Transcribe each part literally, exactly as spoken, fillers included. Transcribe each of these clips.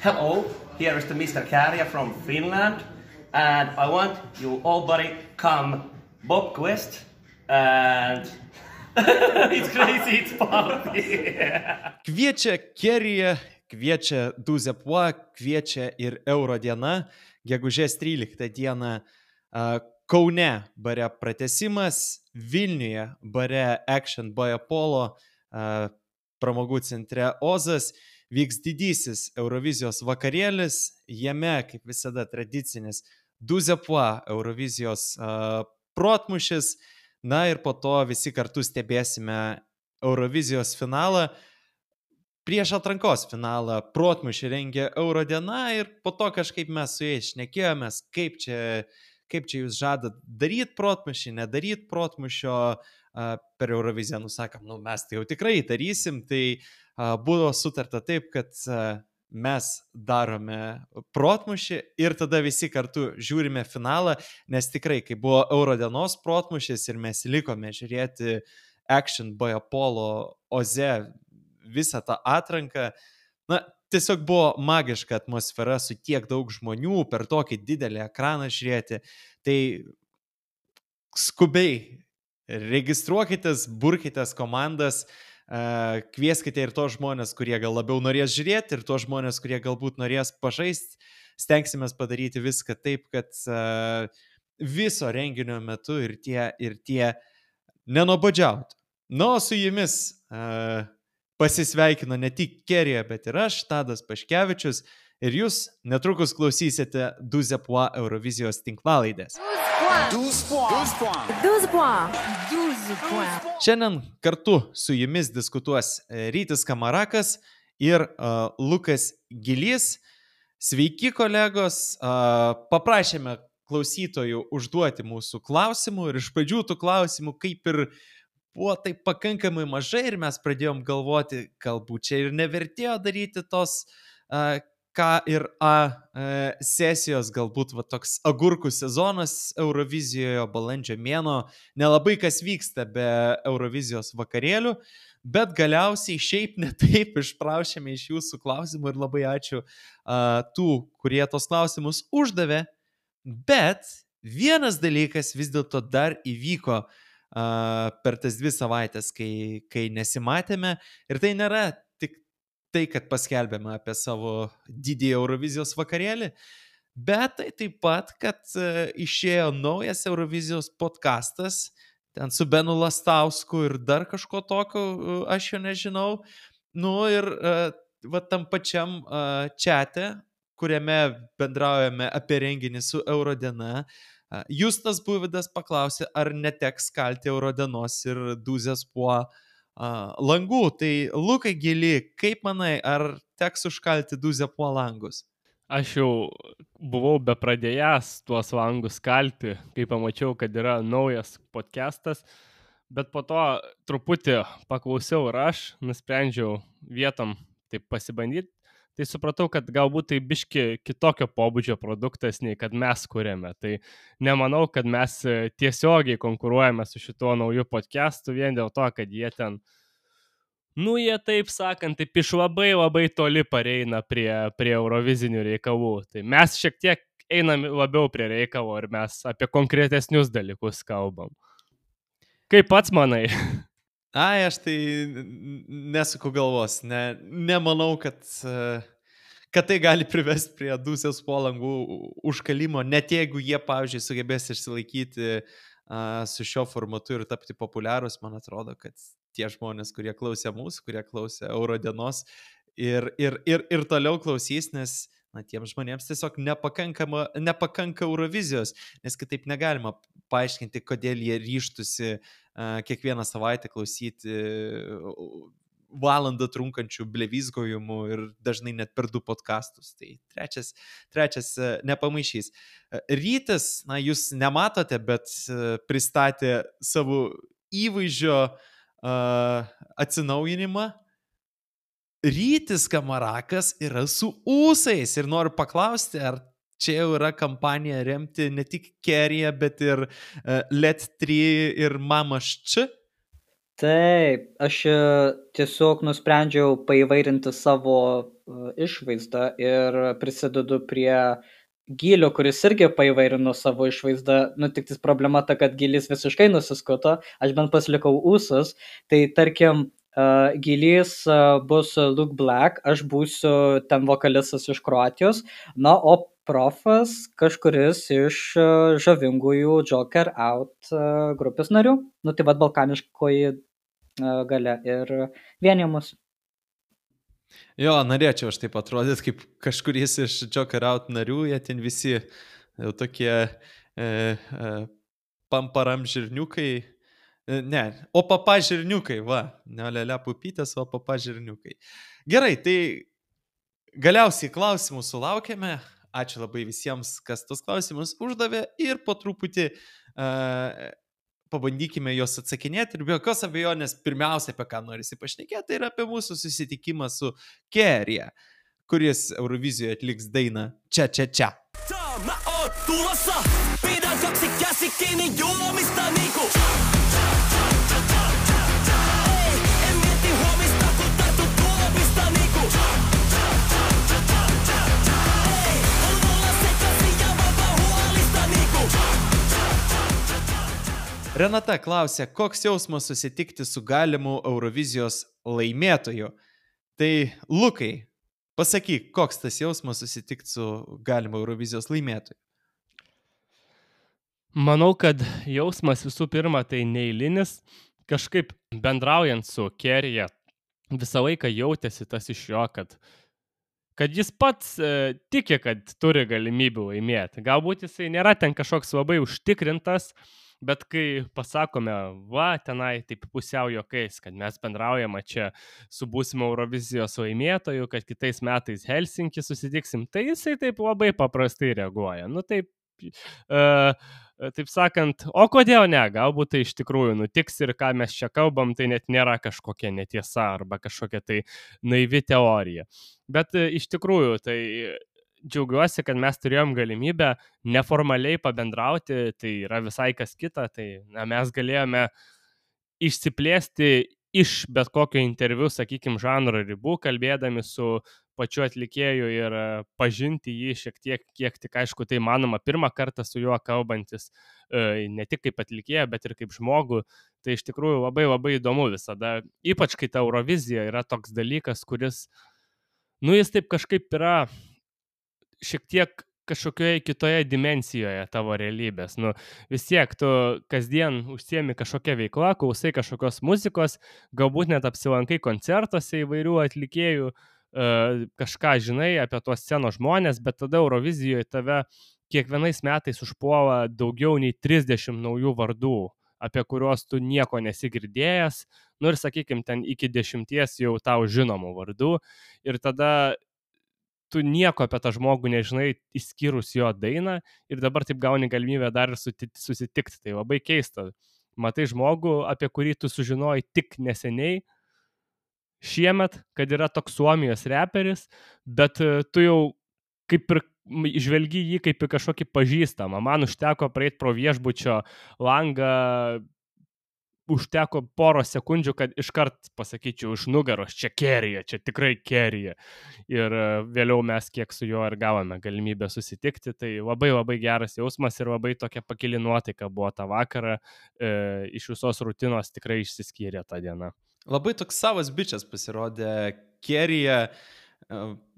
Hello, here is the Mister Kärja from Finland, and I want you all buddy come Bob Quest, and it's crazy, it's party. Kviečia Kerija, kviečia Duzepua, kviečia ir Euro diena, gegužės tryliktą dieną Kaune bare pratęsimas, Vilniuje bare Action by Apollo, pramogų centre Ozas, vyks didysis Eurovizijos vakarėlis, jame, kaip visada, tradicinis Duzepua Eurovizijos protmušis, na ir po to visi kartu stebėsime Eurovizijos finalą. Prieš atrankos finalą protmušį rengė Euro diena ir po to kažkaip mes su jais šnekėjomės, kaip čia, kaip čia jūs žadat daryti protmušį, nedaryti protmušio per Euroviziją. Nusakom, nu mes tai jau tikrai darysim, tai buvo sutarta taip, kad mes darome protmušį ir tada visi kartu žiūrime finalą, nes tikrai, kai buvo Euro dienos protmušis ir mes likome žiūrėti Action by Apollo Oze visą tą atranką, na, tiesiog buvo magiška atmosfera su tiek daug žmonių per tokį didelį ekraną žiūrėti, tai skubiai registruokitės, burkitės komandas, kvieskite ir tos žmonės, kurie gal labiau norės žiūrėti, ir tos žmonės, kurie galbūt norės pažaisti, stengsimės padaryti viską taip, kad viso renginio metu ir tie, ir tie nenobodžiautų. Nu, su jumis pasisveikino ne tik Kerija, bet ir aš, Tadas Paškevičius, ir jūs netrukus klausysite Duzepua Eurovizijos tinklalaidės. Šiandien kartu su jumis diskutuos Rytis Kamarakas ir uh, Lukas Gilys. Sveiki, kolegos, uh, paprašėme klausytojų užduoti mūsų klausimų ir iš pradžių tų klausimų kaip ir buvo taip pakankamai mažai ir mes pradėjom galvoti, galbūt čia ir nevertėjo daryti tos uh, K ir A uh, sesijos, galbūt va, toks agurkų sezonas Eurovizijoje, balandžio mėnuo, nelabai kas vyksta be Eurovizijos vakarėlių, bet galiausiai šiaip ne taip išprašėme iš jūsų klausimų ir labai ačiū uh, tų, kurie tos klausimus uždavė, bet vienas dalykas vis dėlto dar įvyko Uh, per tas dvi savaitės, kai, kai nesimatėme. Ir tai nėra tik tai, kad paskelbėme apie savo didį Eurovizijos vakarėlį, bet tai taip pat, kad uh, išėjo naujas Eurovizijos podcastas, ten su Benu Lastausku ir dar kažko tokio, uh, aš jo nežinau. Nu ir uh, va tam pačiam uh, čate, kuriame bendraujame apie renginį su Euro diena, Justas Buvidas paklausė, ar neteks kalti Eurodienos ir Duzepua langų. Tai Lukai Gili, kaip manai, ar teks užkalti Duzepua langus? Aš jau buvau bepradėjęs tuos langus kalti, kai pamačiau, kad yra naujas podcastas, bet po to truputį paklausiau ir aš nusprendžiau vietom taip pasibandyti. Tai supratau, kad galbūt tai biški kitokio pobūdžio produktas, nei kad mes kuriame. Tai nemanau, kad mes tiesiogiai konkuruojame su šituo nauju podcastu vien dėl to, kad jie ten, nu jie taip sakant, taip iš labai labai toli pareina prie, prie eurovizinių reikalų. Tai mes šiek tiek einam labiau prie reikalo ir mes apie konkretesnius dalykus kalbam. Kaip pats manai? Ai, aš tai nesuku galvos, ne, nemanau, kad, kad tai gali privesti prie Duzepua langų užkalimo, net jeigu jie, pavyzdžiui, sugebės išsilaikyti uh, su šio formatu ir tapti populiarus. Man atrodo, kad tie žmonės, kurie klausė mūsų, kurie klausė Euro dienos ir, ir, ir, ir toliau klausys, nes na, tiems žmonėms tiesiog nepakanka Eurovizijos, nes kitaip negalima paaiškinti, kodėl jie ryžtusi uh, kiekvieną savaitę klausyti valandą trunkančių blevizgojimų ir dažnai net per du podcastus. Tai trečias, trečias uh, nepamaišys. Uh, Rytis, na, jūs nematote, bet uh, pristatė savo įvaizdžio uh, atsinaujinimą. Rytis Kamarakas yra su ūsais ir noriu paklausti, ar čia jau yra kampanija remti ne tik Keriją, bet ir uh, Let trys ir Mamaš Č? Taip, aš tiesiog nusprendžiau paįvairinti savo uh, išvaizdą ir prisidedu prie Gylio, kuris irgi paįvairino savo išvaizdą. Nu, tik tis problema ta, kad Gylis visiškai nusiskuto, aš bent pasilikau ūsus. Tai tarkim, uh, Gylis uh, bus Luke Black, aš būsiu ten vokalistas iš Kroatijos, na, o profas kažkuris iš uh, žavingųjų Joker Out uh, grupės narių. Nu, tai vad balkaniškoji uh, galia ir vienija mus. Jo, norėčiau aš taip atrodyti, kaip kažkuris iš Joker Out narių, jie ten visi jau tokie e, e, pamparam žirniukai, e, ne, o papa žirniukai, va, ne lėlė pupytės, o papa žirniukai. Gerai, tai galiausiai klausimų sulaukėme, ačiū labai visiems, kas tos klausimus uždavė ir po truputį e, pabandykime juos atsakinėti ir be jokios abejonės pirmiausia, apie ką norisi pašnekėti, tai yra apie mūsų susitikimą su Kerija, kuris Eurovizijoje atliks dainą Čia, čia, čia. Mä oon tulossa, pidän kaksi käsi kiinni juomista niinku. Ei, en mieti huomista, kun tartun tuopista niinku. Ei, on olla sekaisin ja vapa huolista niinku. Renata klausė, koks jausmas susitikti su galimu Eurovizijos laimėtoju. Tai Lukai, pasakyk, koks tas jausmas susitikti su galimu Eurovizijos laimėtoju? Manau, kad jausmas visų pirma tai neeilinis. Kažkaip bendraujant su Kerija visą laiką jautėsi tas iš jo, kad, kad jis pats e, tiki, kad turi galimybių laimėti. Galbūt jisai nėra ten kažkoks labai užtikrintas, bet kai pasakome, va, tenai taip pusiau juokais, kad mes bendraujame čia su būsimo Eurovizijos laimėtoju, kad kitais metais Helsinki susitiksim, tai jisai taip labai paprastai reaguoja. Nu taip, uh, taip sakant, o kodėl ne, galbūt tai iš tikrųjų nutiks ir ką mes čia kalbam, tai net nėra kažkokia netiesa arba kažkokia tai naivi teorija. Bet uh, iš tikrųjų tai džiaugiuosi, kad mes turėjom galimybę neformaliai pabendrauti, tai yra visai kas kita, tai na, mes galėjome išsiplėsti iš bet kokio interviu, sakykime, žanro ribų, kalbėdami su pačiu atlikėju ir pažinti jį šiek tiek, kiek tik aišku tai manoma, pirmą kartą su juo kalbantis, ne tik kaip atlikėja, bet ir kaip žmogų, tai iš tikrųjų labai labai įdomu visada, ypač kai ta Eurovizija yra toks dalykas, kuris, nu jis taip kažkaip yra šiek tiek kažkokioje kitoje dimensijoje tavo realybės. Nu, vis tiek tu kasdien užsiemi kažkokią veiklą, klausai kažkokios muzikos, galbūt net apsilankai koncertuose įvairių atlikėjų, kažką žinai apie tuos scenos žmonės, bet tada Eurovizijoje tave kiekvienais metais užpuola daugiau nei trisdešimt naujų vardų, apie kuriuos tu nieko nesi girdėjęs, nu ir sakykime, ten iki dešimties jau tau žinomų vardų ir tada tu nieko apie tą žmogų nežinai, išskyrus jo dainą ir dabar taip gauni galimybę dar ir susitikti. Tai labai keista. Matai žmogų, apie kurį tu sužinojai tik neseniai, šiemet, kad yra toks Suomijos reperis, bet tu jau kaip ir žvelgi jį kaip į kažkokį pažįstamą. Man užteko praeiti pro viešbučio langą, užteko poros sekundžių, kad iškart pasakyčiau iš nugaros, čia Kerija, čia tikrai Kerija. Ir vėliau mes kiek su juo ir gavome galimybę susitikti, tai labai labai geras jausmas ir labai tokia pakili nuotaika buvo tą vakarą, e, iš visos rutinos tikrai išsiskyrė tą dieną. Labai toks savas bičias pasirodė Kerija,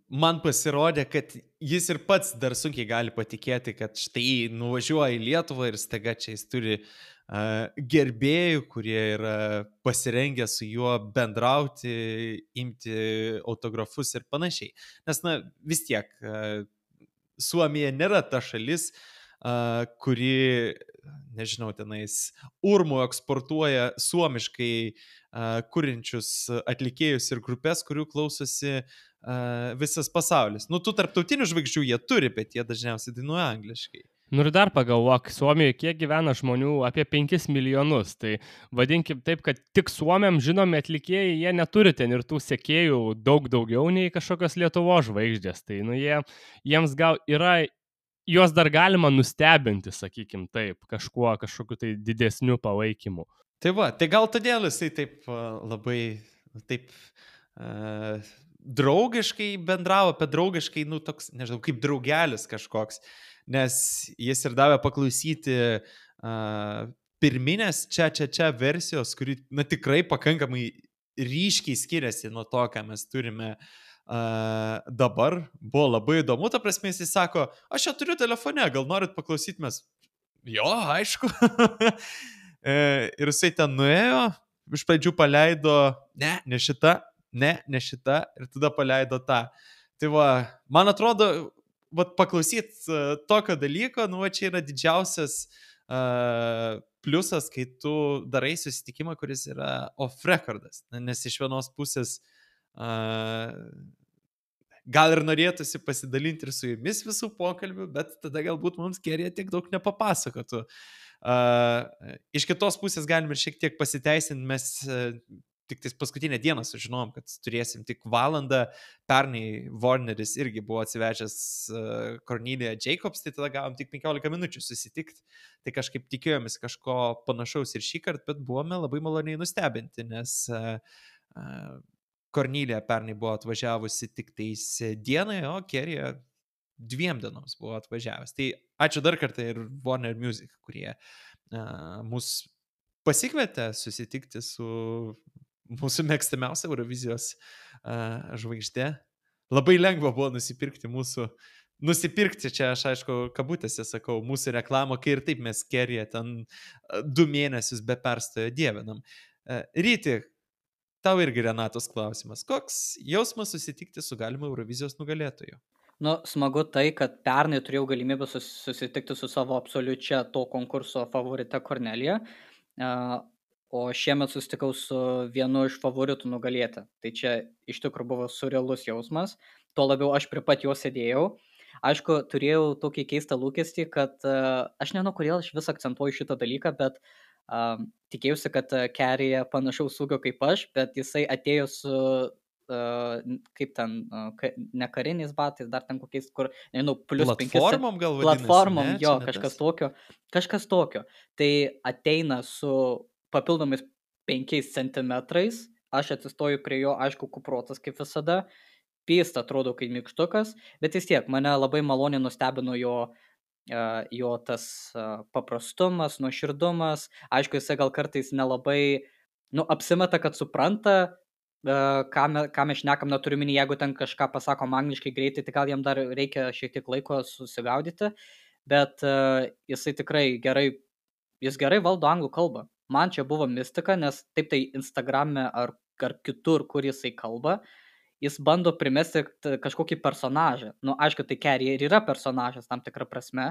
man pasirodė, kad jis ir pats dar sunkiai gali patikėti, kad štai nuvažiuoja į Lietuvą ir staiga čia jis turi Uh, gerbėjų, kurie yra pasirengę su juo bendrauti, imti autografus ir panašiai. Nes, na, vis tiek, uh, Suomija nėra ta šalis, uh, kuri, nežinau, tenais urmu eksportuoja suomiškai uh, kuriančius atlikėjus ir grupės, kurių klausosi uh, visas pasaulis. Nu, tų tarptautinių žvaigždžių jie turi, bet jie dažniausiai dainuoja angliškai. Nu ir dar pagalvok, Suomijoje kiek gyvena žmonių, apie penkis milijonus, tai vadinkim taip, kad tik suomiam žinomi atlikėjai, jie neturi ten ir tų sekėjų daug daugiau nei kažkokios Lietuvos žvaigždės, tai nu jie, jiems gal yra, juos dar galima nustebinti, sakykim taip, kažkuo, kažkokiu tai didesniu palaikymu. Tai va, tai gal todėl jisai taip uh, labai, taip... Uh... draugiškai bendravo, apie draugiškai, nu, toks, nežinau, kaip draugelis kažkoks, nes jis ir davė paklausyti uh, pirminės čia, čia, čia versijos, kuri, na, tikrai pakankamai ryškiai skiriasi nuo to, ką mes turime uh, dabar. Buvo labai įdomu, ta prasme, jis sako, aš čia turiu telefone, gal norit paklausyti mes? Jo, aišku. Ir jisai ten nuėjo, iš pradžių paleido, ne, ne šita, ne, ne šita, ir tada paleido tą. Tai va, man atrodo, va, paklausyt uh, tokio dalyko, nu, va, čia yra didžiausias uh, pliusas, kai tu darai susitikimą, kuris yra off-recordas, nes iš vienos pusės uh, gal ir norėtųsi pasidalinti ir su jumis visų pokalbių, bet tada galbūt mums Kerija tiek daug nepapasakotų. Uh, iš kitos pusės galim ir šiek tiek pasiteisinti, mes uh, tik tais paskutinę dieną sužinom, kad turėsim tik valandą. Pernai Warneris irgi buvo atsivežęs uh, Cornelia Jacobs, tai tada gavom tik penkiolika minučių susitikti. Tai kažkaip tikėjomės kažko panašaus ir šį kartą, bet buvome labai maloniai nustebinti, nes uh, uh, Cornelia pernai buvo atvažiavusi tik tais dienai, o Kerija dviem dienoms buvo atvažiavęs. Tai ačiū dar kartą ir Warner Music, kurie uh, mus pasikvietė susitikti su mūsų mėgstamiausia Eurovizijos uh, žvaigždė. Labai lengva buvo nusipirkti mūsų, nusipirkti čia, aš aišku, kabutėse sakau, mūsų reklamą, kai ir taip mes Keriją ten uh, du mėnesius be perstojo dievinam. Uh, Ryti, tau irgi Renatos klausimas. Koks jausmas susitikti su galimu Eurovizijos nugalėtoju? Nu, smagu tai, kad pernai turėjau galimybę sus, susitikti su savo absoliučia to konkurso favorite Cornelia, uh, o šiemet susitikau su vienu iš favoritų nugalėti. Tai čia iš tikrųjų buvo surrealus jausmas, tuo labiau aš prie pat jo sėdėjau. Aišku, turėjau tokį keistą lūkestį, kad uh, aš nežinau, kodėl aš vis akcentuoju šitą dalyką, bet uh, tikėjausi, kad uh, Kerija panašaus ūgio kaip aš, bet jisai atėjo su Uh, kaip ten, uh, ka, ne kariniais batais, dar ten kokiais, kur, nežinau, plus penkis. Platformom gal vadinasi? Platformom, ne, jo, kažkas tokio. Kažkas tokio. Tai ateina su papildomais penkiais centimetrais, aš atsistoju prie jo, aišku, kuprotas kaip visada, pyst atrodo kaip mykštukas, bet vis tiek mane labai maloniai nustebino jo, uh, jo tas uh, paprastumas, nuoširdumas, aišku, jisai gal kartais nelabai, nu, apsimeta, kad supranta, ką, me, ką mes šnekam, neturiu minį, jeigu ten kažką pasakom angliškai greitai, tai gal jam dar reikia šiek tiek laiko susigaudyti, bet uh, jisai tikrai gerai, jis gerai valdo anglų kalbą. Man čia buvo mistika, nes taip tai Instagrame ar, ar kitur, kur jisai kalba, jis bando primesti kažkokį personažą. Nu, aišku, tai Kerija ir yra personažas tam tikrą prasme,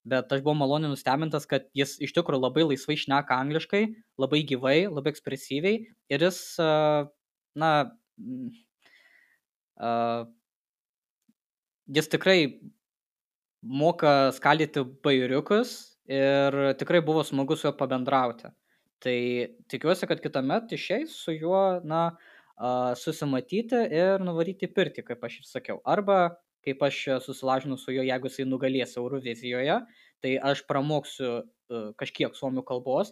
bet aš buvau maloniai nustebintas, kad jis iš tikrųjų labai laisvai šneka angliškai, labai gyvai, labai ekspresyviai ir jis... Uh, na, uh, jis tikrai moka skaldyti bajeriukus ir tikrai buvo smagu su juo pabendrauti. Tai tikiuosi, kad kitąmet išeis su juo, na, uh, susimatyti ir nuvaryti į pirtį, kaip aš ir sakiau. Arba, kaip aš susilažinu su juo, jeigu jisai nugalės Eurovizijoje, tai aš pramoksiu uh, kažkiek suomių kalbos.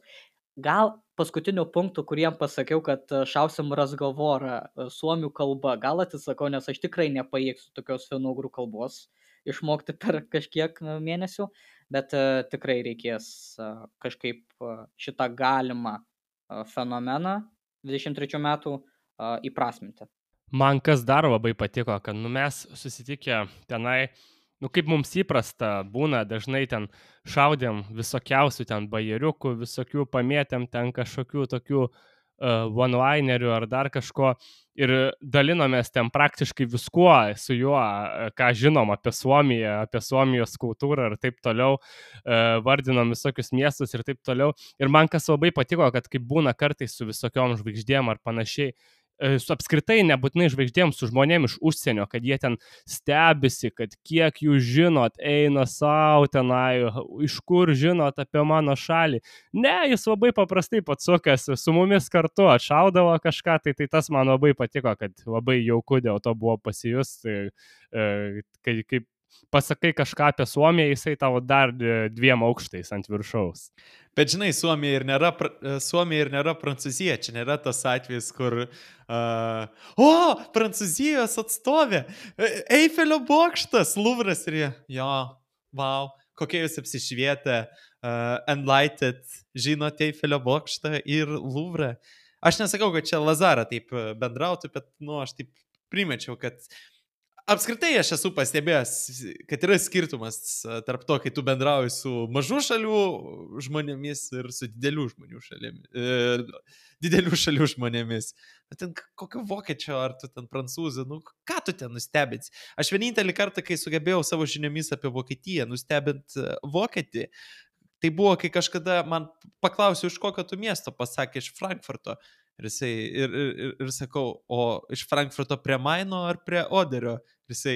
Gal paskutinių punktų, kuriem pasakiau, kad šausim razgovorą suomių kalba, gal atsisakau, nes aš tikrai nepajėgsiu tokios finougrų kalbos išmokti per kažkiek mėnesių, bet uh, tikrai reikės uh, kažkaip uh, šitą galimą uh, fenomeną dvidešimt trečių metų uh, įprasminti. Man kas dar labai patiko, kad nu, mes susitikę tenai, nu kaip mums įprasta būna, dažnai ten šaudėm visokiausių ten bajeriukų, visokių pamėtėm ten kažkokių tokių uh, one-linerių ar dar kažko ir dalinomės ten praktiškai viskuo su juo, ką žinom apie Suomiją, apie Suomijos kultūrą ir taip toliau, uh, vardinom visokius miestus ir taip toliau. Ir man kas labai patiko, kad kaip būna kartais su visokiom žvaigždėm ar panašiai, su apskritai nebūtinai žvaigždėm, su žmonėm iš užsienio, kad jie ten stebisi, kad kiek jūs žinot, eina savo tenai, iš kur žinot apie mano šalį. Ne, jis labai paprastai patsukas, su mumis kartu atšaudavo kažką, tai, tai tas man labai patiko, kad labai jauku dėl to buvo pasijus, tai, kai, kaip pasakai kažką apie Suomiją, jisai tavo dar dviem aukštais ant viršaus. Bet žinai, Suomija ir nėra, Suomija ir nėra Prancūzija, čia nėra tas atvejis, kur, uh, o, Prancūzijos atstovė, Eifelio bokštas, Luvras ir jie, jo, wow, kokie jūs apsišvietę, uh, enlightened, žinote Eifelio bokštą ir Luvrą. Aš nesakau, kad čia Lazara taip bendrautų, bet, nu, aš taip primečiau, kad apskritai aš esu pastebėjęs, kad yra skirtumas tarp to, kai tu bendrauji su mažų šalių žmonėmis ir su didelių žmonių šalėmis, e, didelių šalių žmonėmis. Bet ten kokio vokiečio, ar tu ten prancūzų, nu ką tu ten nustebinsi? Aš vienintelį kartą, kai sugebėjau savo žiniomis apie Vokietiją nustebint vokietį, tai buvo, kai kažkada man paklausiau, iš kokio tu miesto, pasakė iš Frankfurto. Ir, jisai, ir, ir, ir sakau, o iš Frankfurto prie Maino ar prie Oderio? Ir jisai,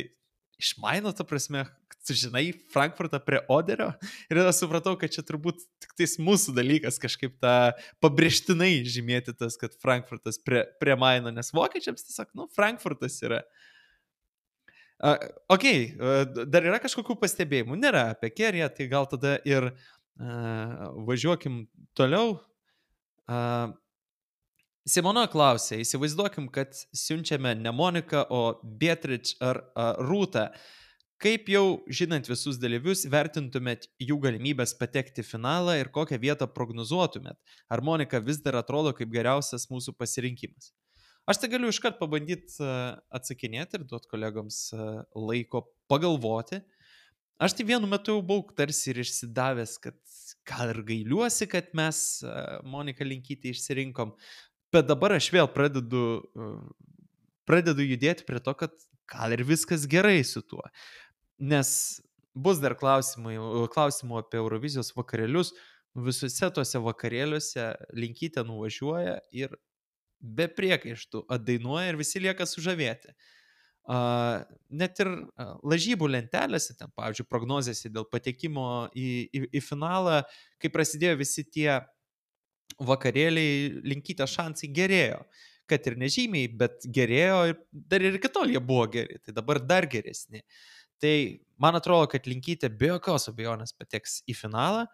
iš Maino, ta prasme, tu žinai, Frankfurtą prie Oderio? Ir tada supratau, kad čia turbūt tik tais mūsų dalykas kažkaip tą pabrėžtinai žymėti tas, kad Frankfurtas prie, prie Maino, nes vokiečiams tiesiog, nu, Frankfurtas yra. Uh, ok, uh, dar yra kažkokių pastebėjimų? Nėra apie Keriją, tai gal tada ir uh, važiuokim toliau. Uh, Simona klausė, įsivaizduokim, kad siunčiame ne Moniką, o Beatrice ar a, Rūtą. Kaip jau žinant visus dalyvius, vertintumėt jų galimybės patekti į finalą ir kokią vietą prognozuotumėt? Ar Monika vis dar atrodo kaip geriausias mūsų pasirinkimas? Aš tai galiu iškart pabandyti atsakinėti ir duoti kolegoms laiko pagalvoti. Aš tai vienu metu jau buvau tarsi ir išsidavęs, kad gal ir gailiuosi, kad mes Moniką Linkytę išsirinkom. Bet dabar aš vėl pradedu, pradedu judėti prie to, kad gal ir viskas gerai su tuo. Nes bus dar klausimai, klausimų apie Eurovizijos vakarėlius. Visuose tuose vakarėliuose Linkytė nuvažiuoja ir be priekaištų atdainuoja ir visi lieka sužavėti. Uh, net ir uh, lažybų lentelėse, ten, pavyzdžiui, prognozėse dėl patekimo į, į, į finalą, kai prasidėjo visi tie vakarėliai, Linkytė šansai gerėjo, kad ir nežymiai, bet gerėjo ir dar ir kitol jie buvo geri, tai dabar dar geresni. Tai man atrodo, kad Linkytė be jokios abejonės pateks į finalą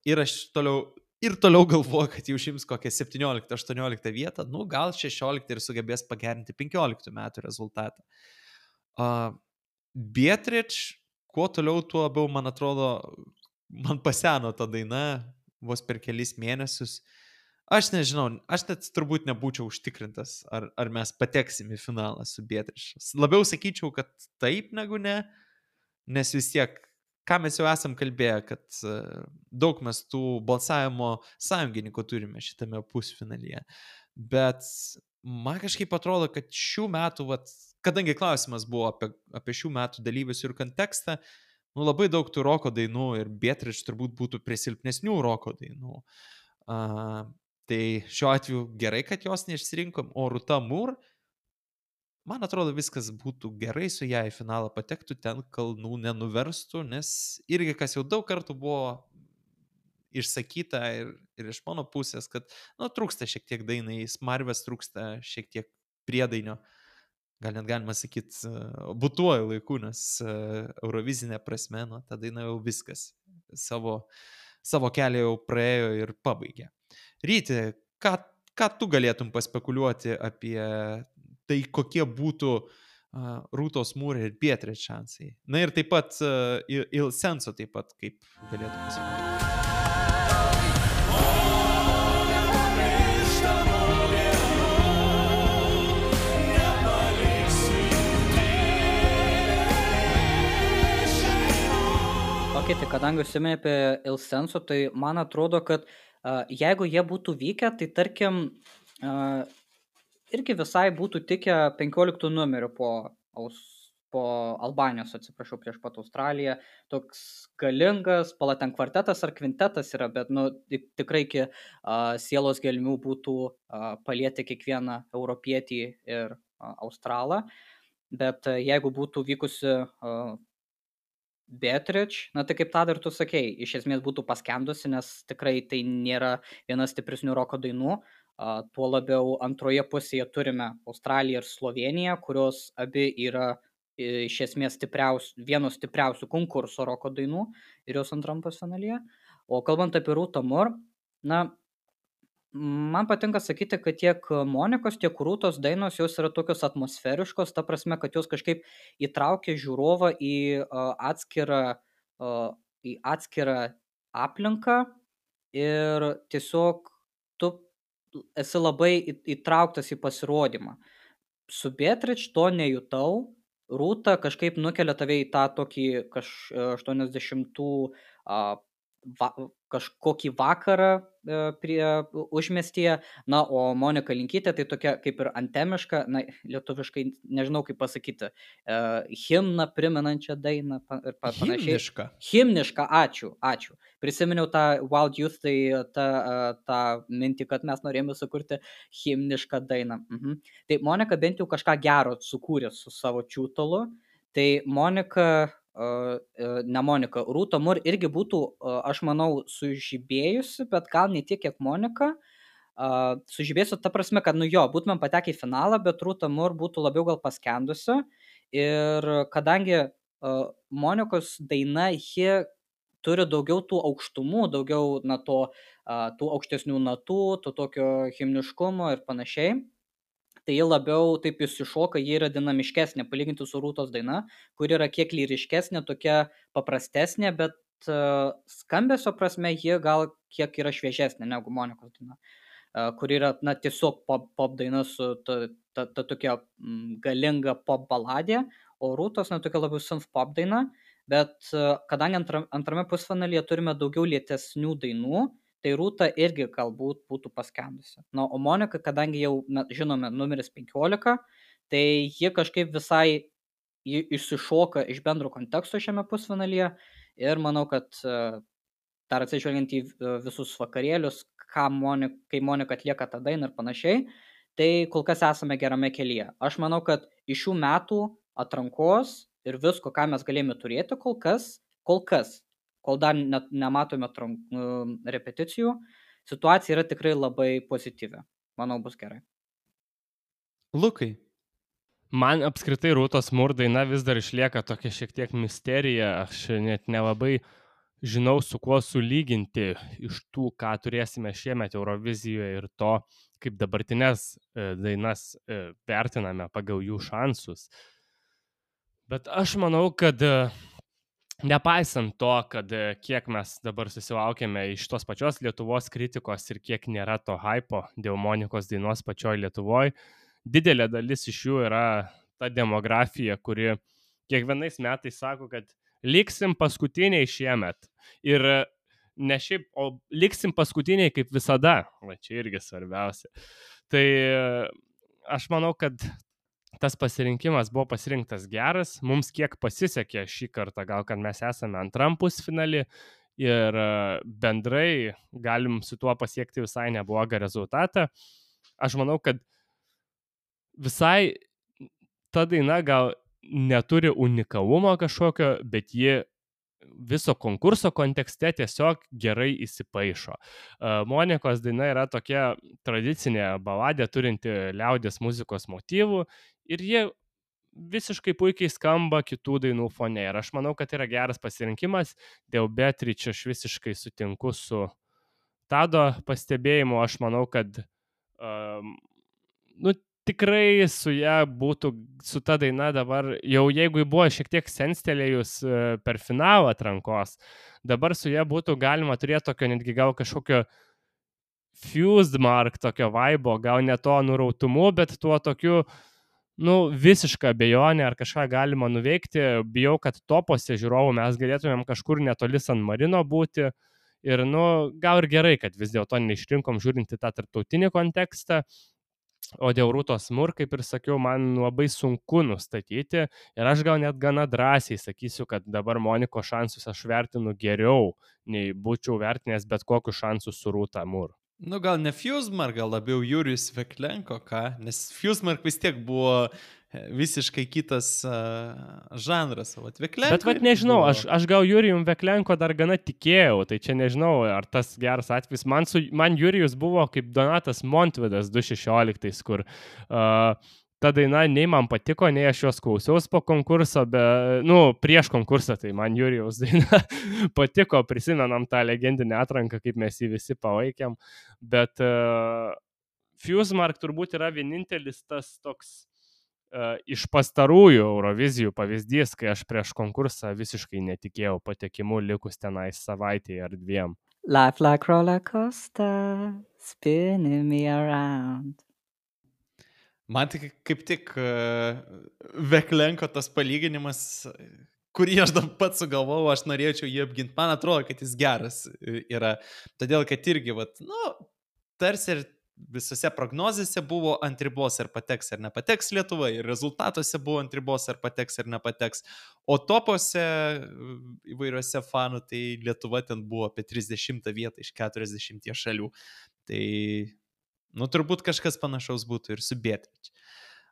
ir aš toliau, ir toliau galvoju, kad jau užims kokią septynioliktą aštuonioliktą vietą, nu gal šešioliktą ir sugebės pagerinti penkioliktų metų rezultatą. Uh, Beatrice, kuo toliau, tuo labiau, man atrodo, man paseno ta daina, vos per kelis mėnesius. Aš nežinau, aš net turbūt nebūčiau užtikrintas, ar, ar mes pateksim į finalą su Beatrice. Labiau sakyčiau, kad taip negu ne, nes vis tiek, ką mes jau esam kalbėję, kad daug mes tų balsavimo sąjungininkų turime šitame pusfinalyje. Bet man kažkaip atrodo, kad šių metų, vat, kadangi klausimas buvo apie, apie šių metų dalyvius ir kontekstą, nu, labai daug tų roko dainų ir Beatrice turbūt būtų prie silpnesnių roko dainų. Uh, tai šiuo atveju gerai, kad jos neišsirinkom, o Rūta Mūr, man atrodo, viskas būtų gerai su ją į finalą patektų, ten kalnų nenuverstų, nes irgi kas jau daug kartų buvo išsakyta ir, ir iš mano pusės, kad nu, trūksta šiek tiek dainai, smarvės trūksta šiek tiek priedainio. Gal net galima sakyti, būtuoju laiku, nes eurovizinė prasme, nu, ta daina jau viskas savo, savo kelią jau praėjo ir pabaigė. Ryti, ką, ką tu galėtum paspekuliuoti apie tai, kokie būtų uh, Rūtos Mūr ir Beatrice šansai? Na ir taip pat uh, Il Senso taip pat, kaip galėtum pasakyti. Ok, tai kadangi užsiminė apie Il Senso, tai man atrodo, kad uh, jeigu jie būtų vykę, tai tarkim uh, irgi visai būtų tikę penkioliktų numerių po, po Albanijos, atsiprašau, prieš pat Australiją. Toks galingas, pala ten kvartetas ar kvintetas yra, bet nu, tikrai iki uh, sielos gelmių būtų uh, palieti kiekvieną europietį ir uh, australą. Bet uh, jeigu būtų vykusi uh, Beatrice, na tai kaip tą dar tu sakei, iš esmės būtų paskendusi, nes tikrai tai nėra viena stipresnių roko dainų. Uh, tuo labiau antroje pusėje turime Australiją ir Sloveniją, kurios abi yra iš esmės stipriaus, vienos stipriausių konkurso roko dainų ir jos antram pusfinalyje. O kalbant apie Rūtą Mur, na, man patinka sakyti, kad tiek Monikos, tiek Rūtos dainos jos yra tokios atmosferiškos, ta prasme, kad jos kažkaip įtraukia žiūrovą į uh, atskirą, uh, į atskirą aplinką ir tiesiog tu esi labai įtrauktas į pasirodymą. Su Beatrice to nejutau, Rūta kažkaip nukelia tave į tą tokį kaž aštuoniasdešimtų uh, va, kažkokį vakarą uh, prie užmiestyje, na, o Monika Linkytė tai tokia kaip ir antemiška, na, lietuviškai nežinau kaip pasakyti, uh, himną primenančią dainą ir panašiai. Himniška. Himniška, ačiū, ačiū. Prisiminiau tą Wild Youth, tai tą, uh, tą mintį, kad mes norėjome sukurti himnišką dainą. Mhm. Tai Monika bent jau kažką gero sukūrė su savo čiūtolu, tai Monika, uh, uh, ne Monika, Rūta Mur irgi būtų, uh, aš manau, sužibėjusi, bet gal ne tiek, kiek Monika. Uh, sužibėsiu ta prasme, kad, nu jo, būtumėm patekę į finalą, bet Rūta Mur būtų labiau gal paskendusi. Ir kadangi uh, Monikos daina, ji turi daugiau tų aukštumų, daugiau na, to, uh, tų aukštesnių natų, to tokio himniškumo ir panašiai, tai ji labiau taip įsišoka, ji yra dinamiškesnė, palyginti su Rūtos daina, kur yra kiek lyriškesnė, tokia paprastesnė, bet uh, skambesio prasme ji gal kiek yra šviežesnė negu Monikos daina, uh, kur yra na, tiesiog pop, pop daina su ta, ta, ta tokia mm, galinga pop baladė, o Rūtos na, tokia labiau synth pop daina, bet uh, kadangi antra, antrame pusfinalyje turime daugiau lėtesnių dainų, tai Rūta irgi galbūt būtų paskendusi. Na, o Monika, kadangi jau na, žinome numeris penkiolika, tai ji kažkaip visai ji išsišoka iš bendro konteksto šiame pusfinalyje ir manau, kad uh, dar atsižvelgiant į uh, visus vakarėlius, ką Monika, kai Monika atlieka tą dainą ir panašiai, tai kol kas esame gerame kelyje. Aš manau, kad iš šių metų atrankos ir visko, ką mes galėjome turėti kol kas, kol kas, kol dar net nematome trank, repeticijų, situacija yra tikrai labai pozityvi. Manau, bus gerai. Lukai. Man apskritai Rūtos Mur daina vis dar išlieka tokia šiek tiek misterija. Aš net nelabai žinau, su kuo sulyginti iš tų, ką turėsime šiemet Eurovizijoje ir to, kaip dabartinės dainas vertiname pagal jų šansus. Bet aš manau, kad nepaisant to, kad kiek mes dabar susilaukėme iš tos pačios Lietuvos kritikos ir kiek nėra to hypo dėl Monikos dainos pačioj Lietuvoje, didelė dalis iš jų yra ta demografija, kuri kiekvienais metais sako, kad liksim paskutiniai šiemet. Ir ne šiaip, o liksim paskutiniai kaip visada. Va, čia irgi svarbiausia. Tai aš manau, kad tas pasirinkimas buvo pasirinktas geras. Mums kiek pasisekė šį kartą, gal kad mes esame antram pusfinalį ir bendrai galim su tuo pasiekti visai neblogą rezultatą. Aš manau, kad visai ta daina gal neturi unikalumo kažkokio, bet ji viso konkurso kontekste tiesiog gerai įsipaišo. Monikos daina yra tokia tradicinė baladė turinti liaudies muzikos motyvų ir jie visiškai puikiai skamba kitų dainų fone. Ir aš manau, kad yra geras pasirinkimas. Dėl Beatrice aš visiškai sutinku su Tado pastebėjimu. Aš manau, kad um, nu, tikrai su ją būtų, su ta daina dabar, jau jeigu buvo šiek tiek senstelėjus per finalą atrankos, dabar su ją būtų galima turėti tokio netgi gal kažkokio fused mark, tokio vaibo, gal ne to nurautumu, bet tuo tokiu, nu, visišką abejonę ar kažką galima nuveikti. Bijau, kad topose žiūrovų mes galėtumėm kažkur netoli San Marino būti ir, nu, gal ir gerai, kad vis dėlto neišrinkom žiūrinti tą tarptautinį kontekstą. O dėl Rūtos Mur, kaip ir sakiau, man labai sunku nustatyti ir aš gal net gana drąsiai sakysiu, kad dabar Monikos šansus aš vertinu geriau, nei būčiau vertinęs bet kokius šansus su Rūta Mur. Nu gal ne Fusmark, gal labiau Jurijus Veklenko, ką? Nes Fusmark vis tiek buvo visiškai kitas uh, žanras. Vat Veklenko Bet vat nežinau, buvo... aš, aš gal Jurijum Veklenko dar gana tikėjau, tai čia nežinau, ar tas geras atvejis. Man, su, man Jurijus buvo kaip Donatas Montvydas du tūkstančiai šešioliktais, kur uh, ta daina nei man patiko, nei aš jos klausiaus po konkurso, bet, nu, prieš konkursą, tai man Jurijaus daina patiko, prisimenam tą legendinę atranką, kaip mes jį visi palaikėm, bet uh, Fusemark turbūt yra vienintelis tas toks uh, iš pastarųjų Eurovizijų pavyzdys, kai aš prieš konkursą visiškai netikėjau patekimu likus tenais savaitėje ar dviem. Life like roller coaster, spinning me around. Man tik kaip tik uh, Veklenko tas palyginimas, kurį aš dar pats sugalvojau, aš norėčiau jį apginti. Man atrodo, kad jis geras yra. Todėl, kad irgi, vat, nu, tarsi ir visose prognozėse buvo ant ribos ar pateks ar nepateks Lietuva, ir rezultatuose buvo ant ribos ar pateks ar nepateks. O topuose įvairiuose fanų, tai Lietuva ten buvo apie trisdešimtą vietą iš keturiasdešimties šalių. Tai... Nu, turbūt kažkas panašaus būtų ir su Beatrice.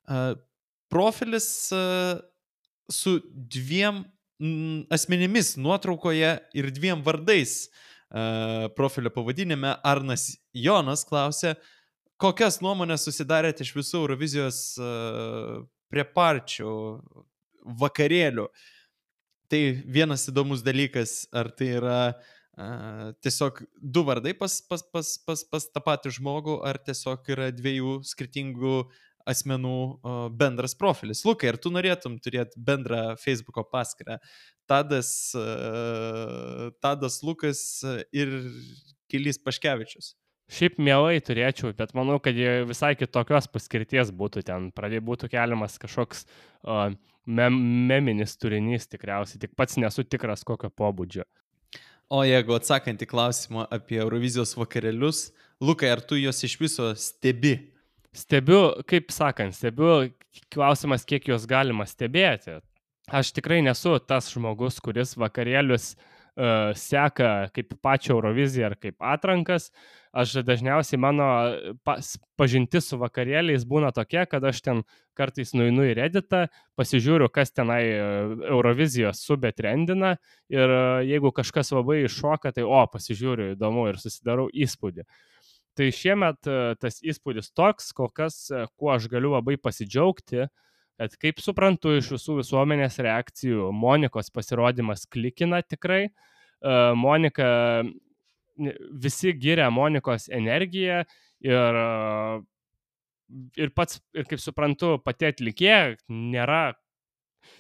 Uh, profilis uh, su dviem mm, asmenimis nuotraukoje ir dviem vardais uh, profilio pavadinime Arnas Jonas klausė, kokias nuomonės susidarėte iš visų Eurovizijos uh, preparčių vakarėlių. Tai vienas įdomus dalykas, ar tai yra Uh, tiesiog du vardai pas, pas, pas, pas, pas tą patį žmogų, ar tiesiog yra dviejų skirtingų asmenų uh, bendras profilis. Lukai, ar tu norėtum turėti bendrą Facebooko paskyrą? Tadas, uh, Tadas Lukas ir Gilys Paškevičius. Šiaip mielai turėčiau, bet manau, kad visai kitokios paskirties būtų ten. Pradėj būtų keliamas kažkoks uh, mem meminis turinys tikriausiai, tik pats nesu tikras kokio pobūdžio. O jeigu atsakant į klausimą apie Eurovizijos vakarėlius, Lukai, ar tu jos iš viso stebi? Stebiu, kaip sakant, stebiu klausimas, kiek jos galima stebėti. Aš tikrai nesu tas žmogus, kuris vakarėlius uh, seka kaip pačią Euroviziją ar kaip atrankas. Aš dažniausiai mano pas, pažintis su vakarėliais būna tokia, kad aš ten kartais nueinu į Redditą, pasižiūriu, kas tenai Eurovizijos subetrendina ir jeigu kažkas labai iššoka, tai o, pasižiūriu, įdomu ir susidarau įspūdį. Tai šiemet tas įspūdis toks, kol kas, kuo aš galiu labai pasidžiaugti, kad kaip suprantu iš visų visuomenės reakcijų, Monikos pasirodymas klikina tikrai. Monika, visi giria Monikos energiją ir, ir pats, ir kaip suprantu, pati atlikėja nėra,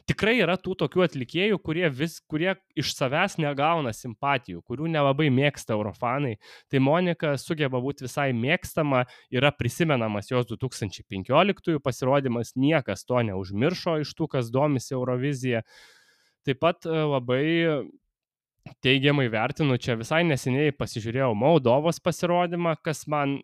tikrai yra tų tokių atlikėjų, kurie, vis, kurie iš savęs negauna simpatijų, kurių nelabai mėgsta eurofanai. Tai Monika sugeba būti visai mėgstama, yra prisimenamas jos du tūkstančiai penkioliktųjų pasirodymas, niekas to neužmiršo iš tų, kas domisi Eurovizija. Taip pat labai teigiamai vertinu, čia visai neseniai pasižiūrėjau Moldovos pasirodymą, kas man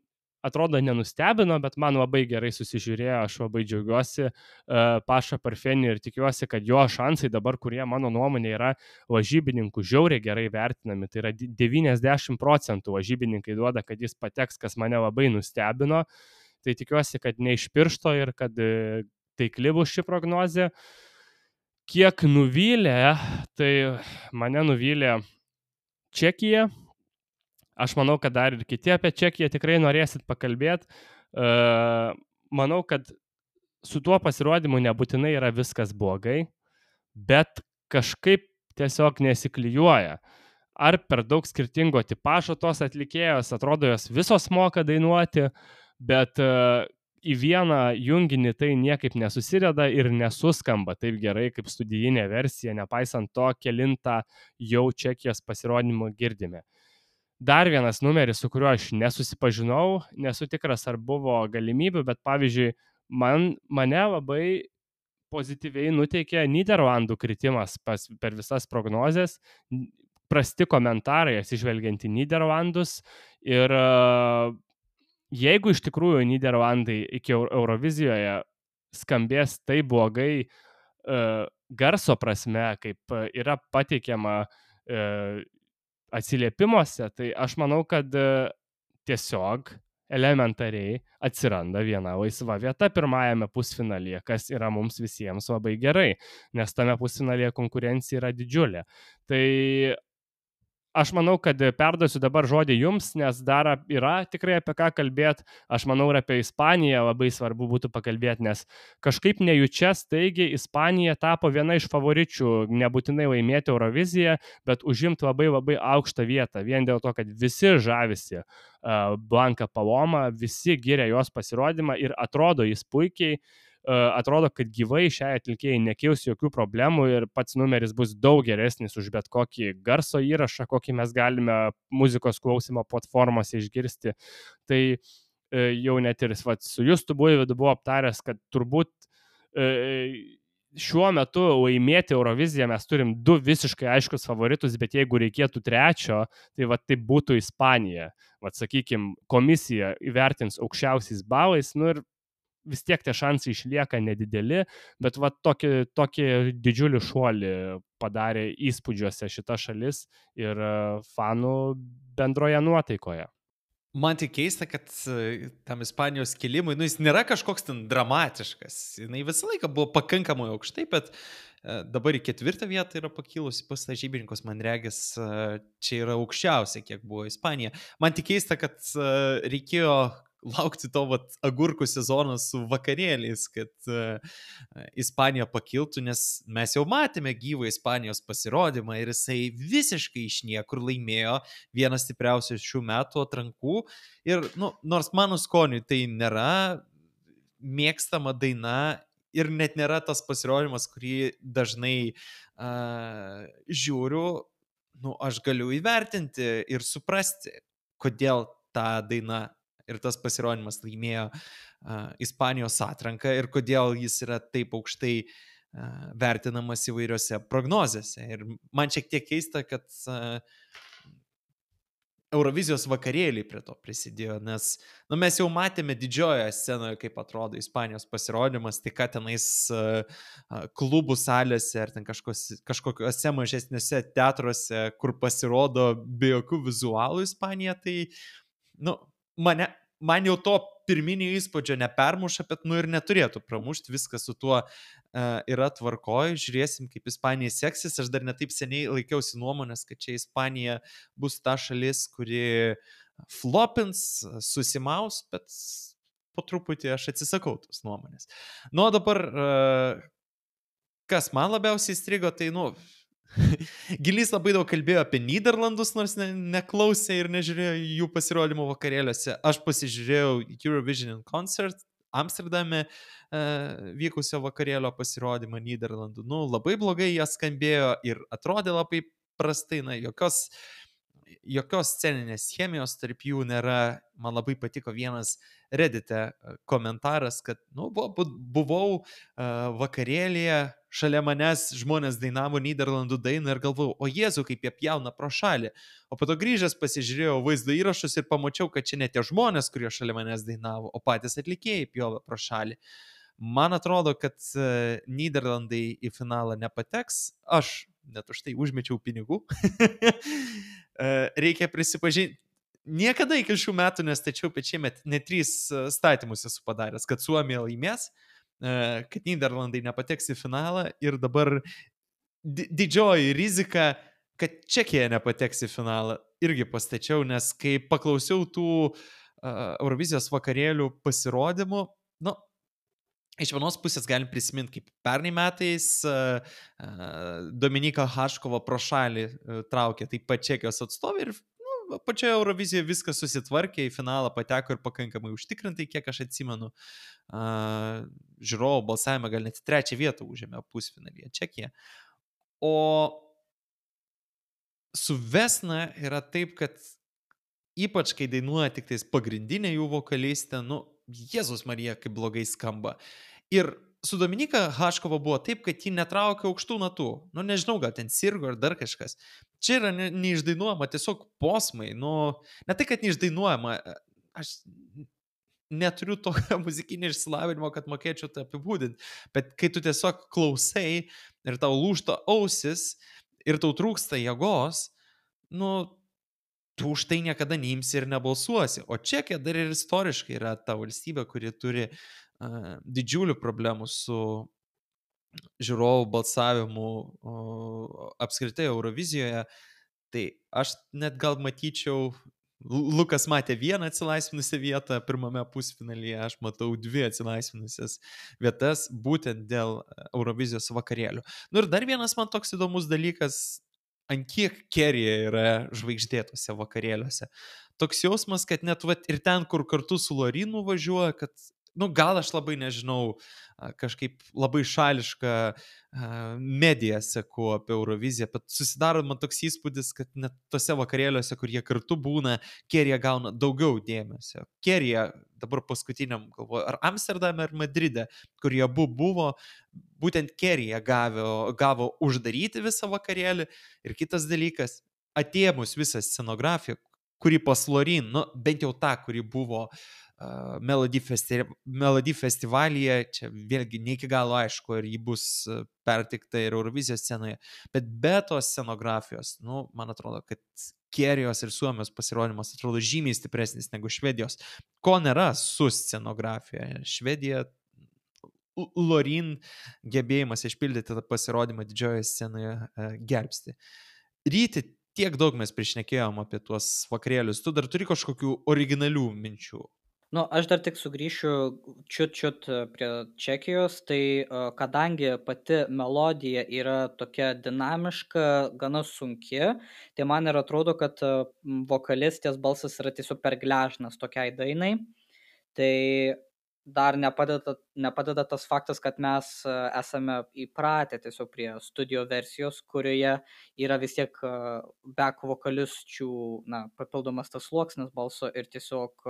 atrodo nenustebino, bet man labai gerai susižiūrėjo, aš labai džiaugiuosi uh, Paša Parfeni ir tikiuosi, kad jo šansai dabar, kurie mano nuomonė yra lažybininkų žiauriai gerai vertinami, tai yra devyniasdešimt procentų lažybininkai duoda, kad jis pateks, kas mane labai nustebino, tai tikiuosi, kad ne iš piršto ir kad uh, taikli bus ši prognozė. Kiek nuvylė, tai mane nuvylė Čekija. Aš manau, kad dar ir kiti apie Čekiją tikrai norėsit pakalbėti. Manau, kad su tuo pasirodymu nebūtinai yra viskas blogai, bet kažkaip tiesiog nesiklijuoja. Ar per daug skirtingo tipažo tos atlikėjos, atrodo, jos visos moka dainuoti, bet į vieną junginį tai niekaip nesusideda ir nesuskamba taip gerai kaip studijinė versija, nepaisant to, kelintą jau Čekijos pasirodymą girdime. Dar vienas numeris, su kuriuo aš nesusipažinau, nesu tikras, ar buvo galimybių, bet pavyzdžiui, man, mane labai pozityviai nuteikė Nyderlandų kritimas pas, per visas prognozes, prasti komentarai atsižvelgiant į Nyderlandus ir jeigu iš tikrųjų Nyderlandai iki Eurovizijoje skambės taip blogai uh, garso prasme, kaip yra pateikiama uh, atsiliepimuose, tai aš manau, kad uh, tiesiog elementariai atsiranda viena laisva vieta pirmajame pusfinalyje, kas yra mums visiems labai gerai, nes tame pusfinalyje konkurencija yra didžiulė. Tai aš manau, kad perduosiu dabar žodį jums, nes dar yra tikrai apie ką kalbėti. Aš manau, ir apie Ispaniją labai svarbu būtų pakalbėti, nes kažkaip nejučia staigiai Ispanija tapo viena iš favoričių, nebūtinai laimėti Euroviziją, bet užimti labai labai aukštą vietą, vien dėl to, kad visi žavisi uh, Blanka Paloma, visi giria jos pasirodymą ir atrodo jis puikiai. Atrodo, kad gyvai šiai atlikėjai nekils jokių problemų ir pats numeris bus daug geresnis už bet kokį garso įrašą, kokį mes galime muzikos klausimo platformose išgirsti. Tai jau net ir vat, su Justu Buivydu buvo aptaręs, kad turbūt šiuo metu laimėti Euroviziją mes turim du visiškai aiškus favoritus, bet jeigu reikėtų trečio, tai vat tai būtų Ispanija. Vat sakykime, komisija įvertins aukščiausiais balais, nu ir vis tiek tie šansai išlieka nedideli, bet va tokį, tokį didžiulį šuolį padarė įspūdžiuose šita šalis ir fanų bendroje nuotaikoje. Man tik keista, kad tam Ispanijos kilimui, nu jis nėra kažkoks ten dramatiškas, jinai visą laiką buvo pakankamai aukštai, bet dabar į ketvirtą vietą yra pakilusi pas lažybininkus, man regis, čia yra aukščiausia, kiek buvo Ispanija. Man tik keista, kad reikėjo laukti to vat, agurkų sezono su vakarėliais, kad uh, Ispanija pakiltų, nes mes jau matėme gyvą Ispanijos pasirodymą ir jisai visiškai iš niekur laimėjo vieną stipriausių šių metų atrankų. Ir nu, nors mano skoniui tai nėra mėgstama daina ir net nėra tas pasirodymas, kurį dažnai uh, žiūriu, nu, aš galiu įvertinti ir suprasti, kodėl ta daina ir tas pasirodymas laimėjo uh, Ispanijos atranką ir kodėl jis yra taip aukštai uh, vertinamas įvairiose prognozėse. Ir man šiek tiek keista, kad uh, Eurovizijos vakarėliai prie to prisidėjo, nes nu, mes jau matėme didžiojoje scenoje, kaip atrodo Ispanijos pasirodymas, tai ką tenais uh, klubų salėse ar ten kažkos, kažkokiuose mažesniuose teatruose, kur pasirodo be jokių vizualų Ispanija, tai nu, Mane, man jau to pirminio įspūdžio nepermuša, bet nu ir neturėtų pramušti, viskas su tuo uh, yra tvarkoj, žiūrėsim, kaip Ispanija seksis. Aš dar netaip seniai laikiausi nuomonės, kad čia Ispanija bus ta šalis, kuri flopins, susimaus, bet po truputį aš atsisakau tos nuomonės. Nu, o dabar, uh, kas man labiausiai įstrigo, tai nu... Gilys labai daug kalbėjo apie Nyderlandus, nors ne, neklausė ir nežiūrėjo jų pasirodymų vakarėliuose. Aš pasižiūrėjau Eurovision Concert Amsterdame e, vykusio vakarėlio pasirodymą Nyderlandų. Nu, labai blogai jie skambėjo ir atrodė labai prastai, na, jokios, jokios sceninės chemijos tarp jų nėra. Man labai patiko vienas Reddite komentaras, kad nu, buvau uh, vakarėlėje, šalia manęs žmonės dainavo Nyderlandų dainą ir galvojau, o Jėzu, kaip jie pjauna pro šalį. O po to grįžęs pasižiūrėjau vaizdo įrašus ir pamačiau, kad čia ne tie žmonės, kurie šalia manęs dainavo, o patys atlikėjai pjovė pro šalį. Man atrodo, kad uh, Nyderlandai į finalą nepateks. Aš net už tai užmečiau pinigų. uh, reikia prisipažinti. Niekada iki šių metų nestačiau, bet šiemet net trys statymus esu padaręs, kad Suomija laimės, kad Nyderlandai nepateks į finalą ir dabar di- didžioji rizika, kad Čekija nepateks į finalą, irgi pastačiau, nes kai paklausiau tų uh, Eurovizijos vakarėlių pasirodymų, nu, iš vienos pusės galim prisiminti, kaip pernai metais uh, uh, Dominika Haškova pro šalį uh, traukė taip pat Čekijos atstovė ir pačioje Eurovizijoje viskas susitvarkė, į finalą pateko ir pakankamai užtikrintai, kiek aš atsimenu. Uh, žiūrovų balsavimą gal net trečią vietą užėmė pusfinalyje Čekija. O su Vesna yra taip, kad ypač kai dainuoja tik tais pagrindinė jų vokalistė, nu, Jėzus Marija, kaip blogai skamba. Ir su Dominika Haškova buvo taip, kad ji netraukė aukštų natų. Nu, nežinau, gal ten sirgo ar dar kažkas. Čia yra ne, neišdainuojama, tiesiog posmai. Nu, ne tai, kad neišdainuojama. Aš neturiu tokio muzikinio išsilavinimo, kad mokėčiau tai apibūdinti. Bet kai tu tiesiog klausai ir tau lūžta ausis ir tau trūksta jėgos, nu, tu už tai niekada neimsi ir nebalsuosi. O Čekija dar ir istoriškai yra ta valstybė, kuri turi uh, didžiulių problemų su žiūrovų balsavimu uh, apskritai Eurovizijoje. Tai aš net gal matyčiau, Lukas matė vieną atsilaisvinusią vietą pirmame pusfinalyje, aš matau dvi atsilaisvinusias vietas būtent dėl Eurovizijos vakarėlių. Nu ir dar vienas man toks įdomus dalykas, ant kiek Kerija yra žvaigždėtose vakarėliuose. Toks jausmas, kad net vat, ir ten, kur kartu su Lorinu važiuoja, kad, nu gal aš labai nežinau, kažkaip labai šališką mediją seku apie Euroviziją, bet susidaro man toks įspūdis, kad net tose vakarėliuose, kur jie kartu būna, Kerija gauna daugiau dėmesio. Kerija dabar paskutiniam, galvoju, ar Amsterdame, ar Madride, kur jie abu buvo, būtent Kerija gavo, gavo uždaryti visą vakarėlį. Ir kitas dalykas, atėmus visą scenografiją, kuri pas Lorin, nu, bent jau ta, kuri buvo uh, Melody, festi Melody festivalyje, čia vėlgi ne iki galo aišku, ar ji bus pertikta ir Eurovizijos scenoje, bet be tos scenografijos, nu, man atrodo, kad Kerijos ir Suomijos pasirodymas atrodo žymiai stipresnis negu Švedijos, ko nėra su scenografija. Švedija, Lorin gebėjimas išpildyti tą pasirodymą didžiojoje scenoje uh, gelbsti. Ryti, tiek daug mes prišnekėjom apie tuos vakarėlius, tu dar turi kažkokių originalių minčių? Nu, aš dar tik sugrįšiu čiut-čiut prie Čekijos, tai kadangi pati melodija yra tokia dinamiška, gana sunki, tai man ir atrodo, kad vokalistės balsas yra tiesiog per gležnas tokiai dainai. Tai dar nepadeda, nepadeda tas faktas, kad mes esame įpratę tiesiog prie studio versijos, kurioje yra vis tiek back vokalisčių, na, papildomas tas sluoksnis balso ir tiesiog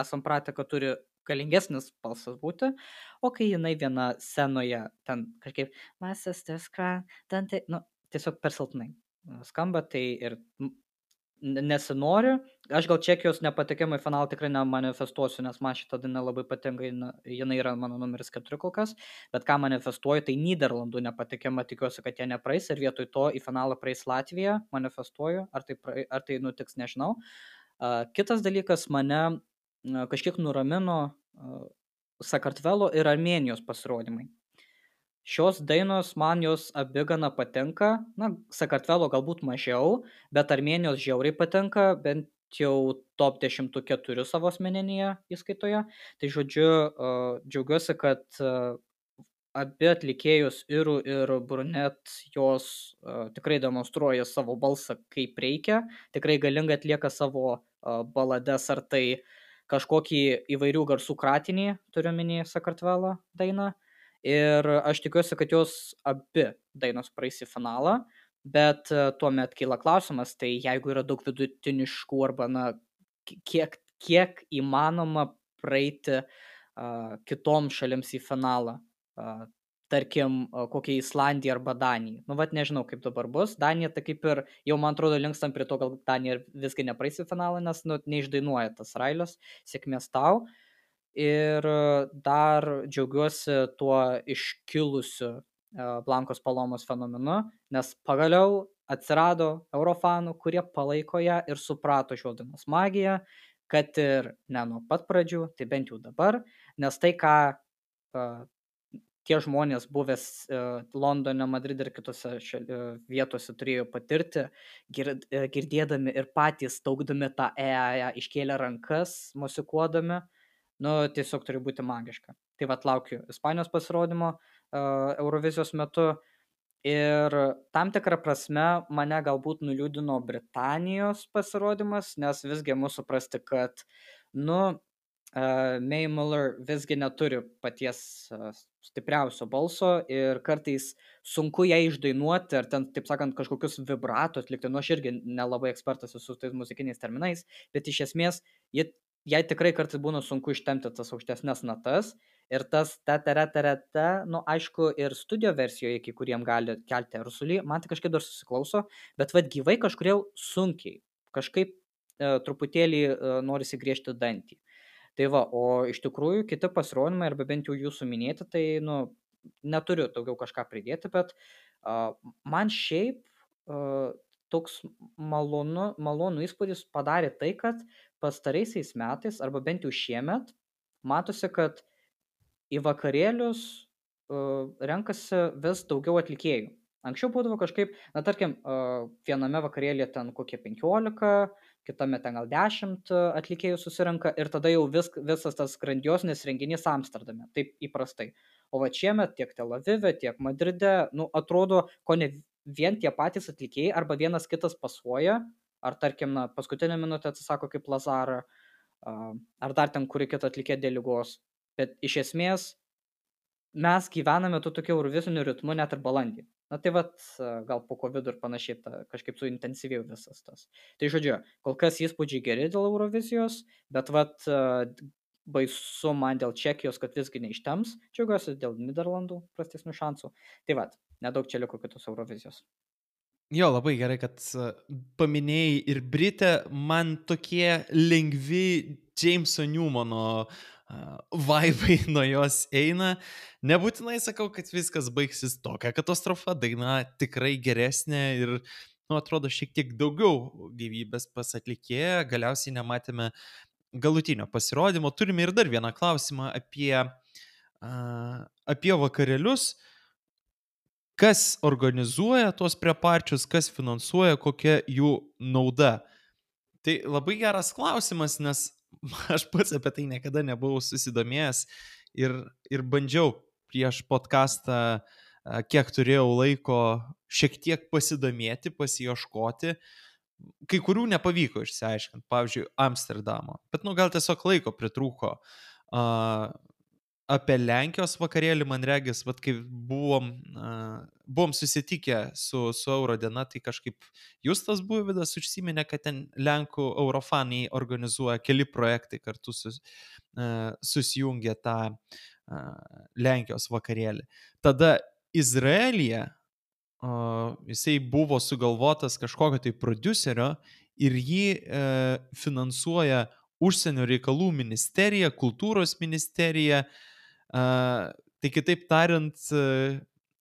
esam pratę, kad turi galingesnis balsas būti, o kai jinai viena scenoje ten kažkaip my sister's cry, ten tai, nu, tiesiog per silpnai skamba, tai ir nesinori. Aš gal Čekijos nepatekimą į finalą tikrai nemanifestuosiu, nes man šitą dainą labai patinka, jinai yra mano numeris keturi kol kas, bet ką manifestuoju, tai Nyderlandų nepatekimą, tikiuosi, kad jie nepraeis ir vietoj to į finalą praeis Latvija, manifestuoju, ar tai, prae, ar tai nutiks, nežinau. Uh, kitas dalykas, mane uh, kažkiek nuramino uh, Sakartvelo ir Armėnijos pasirodymai. Šios dainos man jos abi gana patinka, na, Sakartvelo galbūt mažiau, bet Armėnijos žiauriai patinka, bent jau top dešimtuke turiu savo asmeninėje įskaitoje. Tai žodžiu, uh, džiaugiuosi, kad uh, abi atlikėjus Iru ir Brunet jos uh, tikrai demonstruoja savo balsą kaip reikia, tikrai galingai atlieka savo uh, balades, ar tai kažkokį įvairių garsų kratinį, turiu minį Sakartvelo dainą. Ir aš tikiuosi, kad jos abi dainos praeis į finalą, bet tuomet kyla klausimas, tai jeigu yra daug vidutiniškų arba, na, kiek, kiek įmanoma praeiti uh, kitom šalims į finalą, uh, tarkim, uh, kokia Islandija arba Danija. Nu, vat nežinau, kaip dabar bus. Danija, tai kaip ir, jau man atrodo, linkstam prie to, gal Danija viskai nepraeis į finalą, nes, nu, neišdainuoja tas Railios, sėkmės tau. Ir dar džiaugiuosi tuo iškilusiu Blankos Palomos fenomenu, nes pagaliau atsirado eurofanų, kurie palaiko ją ir suprato šios dainos magiją, kad ir ne nuo pat pradžių, tai bent jau dabar, nes tai, ką uh, tie žmonės buvęs uh, Londone, Madride ir kitose šali, uh, vietose turėjo patirti, gird, uh, girdėdami ir patys taukdami tą E A E, iškėlę rankas, mosikuodami, nu, tiesiog turi būti magiška. Tai vat laukiu Ispanijos pasirodymo uh, Eurovizijos metu ir tam tikrą prasme mane galbūt nuliūdino Britanijos pasirodymas, nes visgi mūsų suprasti, kad, nu, uh, Mae Muller visgi neturi paties uh, stipriausio balso ir kartais sunku ją išdainuoti, ar ten, taip sakant, kažkokius vibrato atlikti. Nu, aš irgi nelabai ekspertas esu tais muzikiniais terminais, bet iš esmės jie jai tikrai kartais būna sunku ištempti tas aukštesnes natas ir tas ta tere tere ta, nu, aišku, ir studio versijoje, iki kuriem gali kelti ersulį, man tai kažkaip dar susiklauso, bet vad gyvai kažkodėl sunkiai, kažkaip e, truputėlį e, norisi griežti dantį. Tai va, o iš tikrųjų kiti pasirodymai, arba bent jau jūsų minėti, tai, nu, neturiu daugiau kažką pridėti, bet e, man šiaip e, toks malonu, malonu įspūdis padarė tai, kad pastaraisiais metais, arba bent jau šiemet, matosi, kad į vakarėlius uh, renkasi vis daugiau atlikėjų. Anksčiau būdavo kažkaip, na tarkim, a, viename vakarėlyje ten kokie penkiolika, kitame ten gal dešimt a, atlikėjų susirenka ir tada jau vis, visas tas grandiosinis renginys Amsterdame, taip įprastai. O va šiemet tiek Tel Avive, tiek Madride, nu, atrodo, ko ne vien tie patys atlikėjai arba vienas kitas pasuoja, ar tarkim, na, paskutinę minutę atsisako kaip Lazara, a, ar dar ten kuri kita atlikėja dėl ligos. Bet iš esmės mes gyvename tu tokiu euroviziniu ritmu net ir balandį. Na tai vat, a, gal po COVID ir panašiai ta, kažkaip suintensyvėjo visas tas. Tai žodžiu, kol kas įspūdžiai geri dėl Eurovizijos, bet vat a, baisu man dėl Čekijos, kad visgi neištems, džiaugiuosi dėl Niderlandų prastesnių šansų. Tai vat, nedaug čia liko kitos Eurovizijos. Jo, labai gerai, kad a, paminėjai ir Britę, man tokie lengvi Jameso Newmano a, vaibai nuo jos eina. Nebūtinai sakau, kad viskas baigsis tokia katastrofa, daina tikrai geresnė ir, nu, atrodo, šiek tiek daugiau gyvybės pas atlikėją, galiausiai nematėme galutinio pasirodymo. Turime ir dar vieną klausimą apie, a, apie vakarėlius. Kas organizuoja tuos preparčius, kas finansuoja, kokia jų nauda? Tai labai geras klausimas, nes aš pats apie tai niekada nebuvau susidomėjęs ir, ir bandžiau prieš podcastą, a, kiek turėjau laiko, šiek tiek pasidomėti, pasiieškoti. Kai kurių nepavyko išsiaiškinti, pavyzdžiui, Amsterdamo, bet nu gal tiesiog laiko pritrūko. A, apie Lenkijos vakarėlį, man regis, vat, kai buvom, uh, buvom susitikę su, su Eurodiena, tai kažkaip Justas Buivydas užsiminė, kad ten Lenkų Eurofaniai organizuoja keli projektai kartu sus, uh, susijungė tą uh, Lenkijos vakarėlį. Tada Izraelyje uh, jisai buvo sugalvotas kažkokio tai prodiuserio ir jį uh, finansuoja Užsienio reikalų ministerija, kultūros ministerija. Uh, tai kitaip tariant, uh,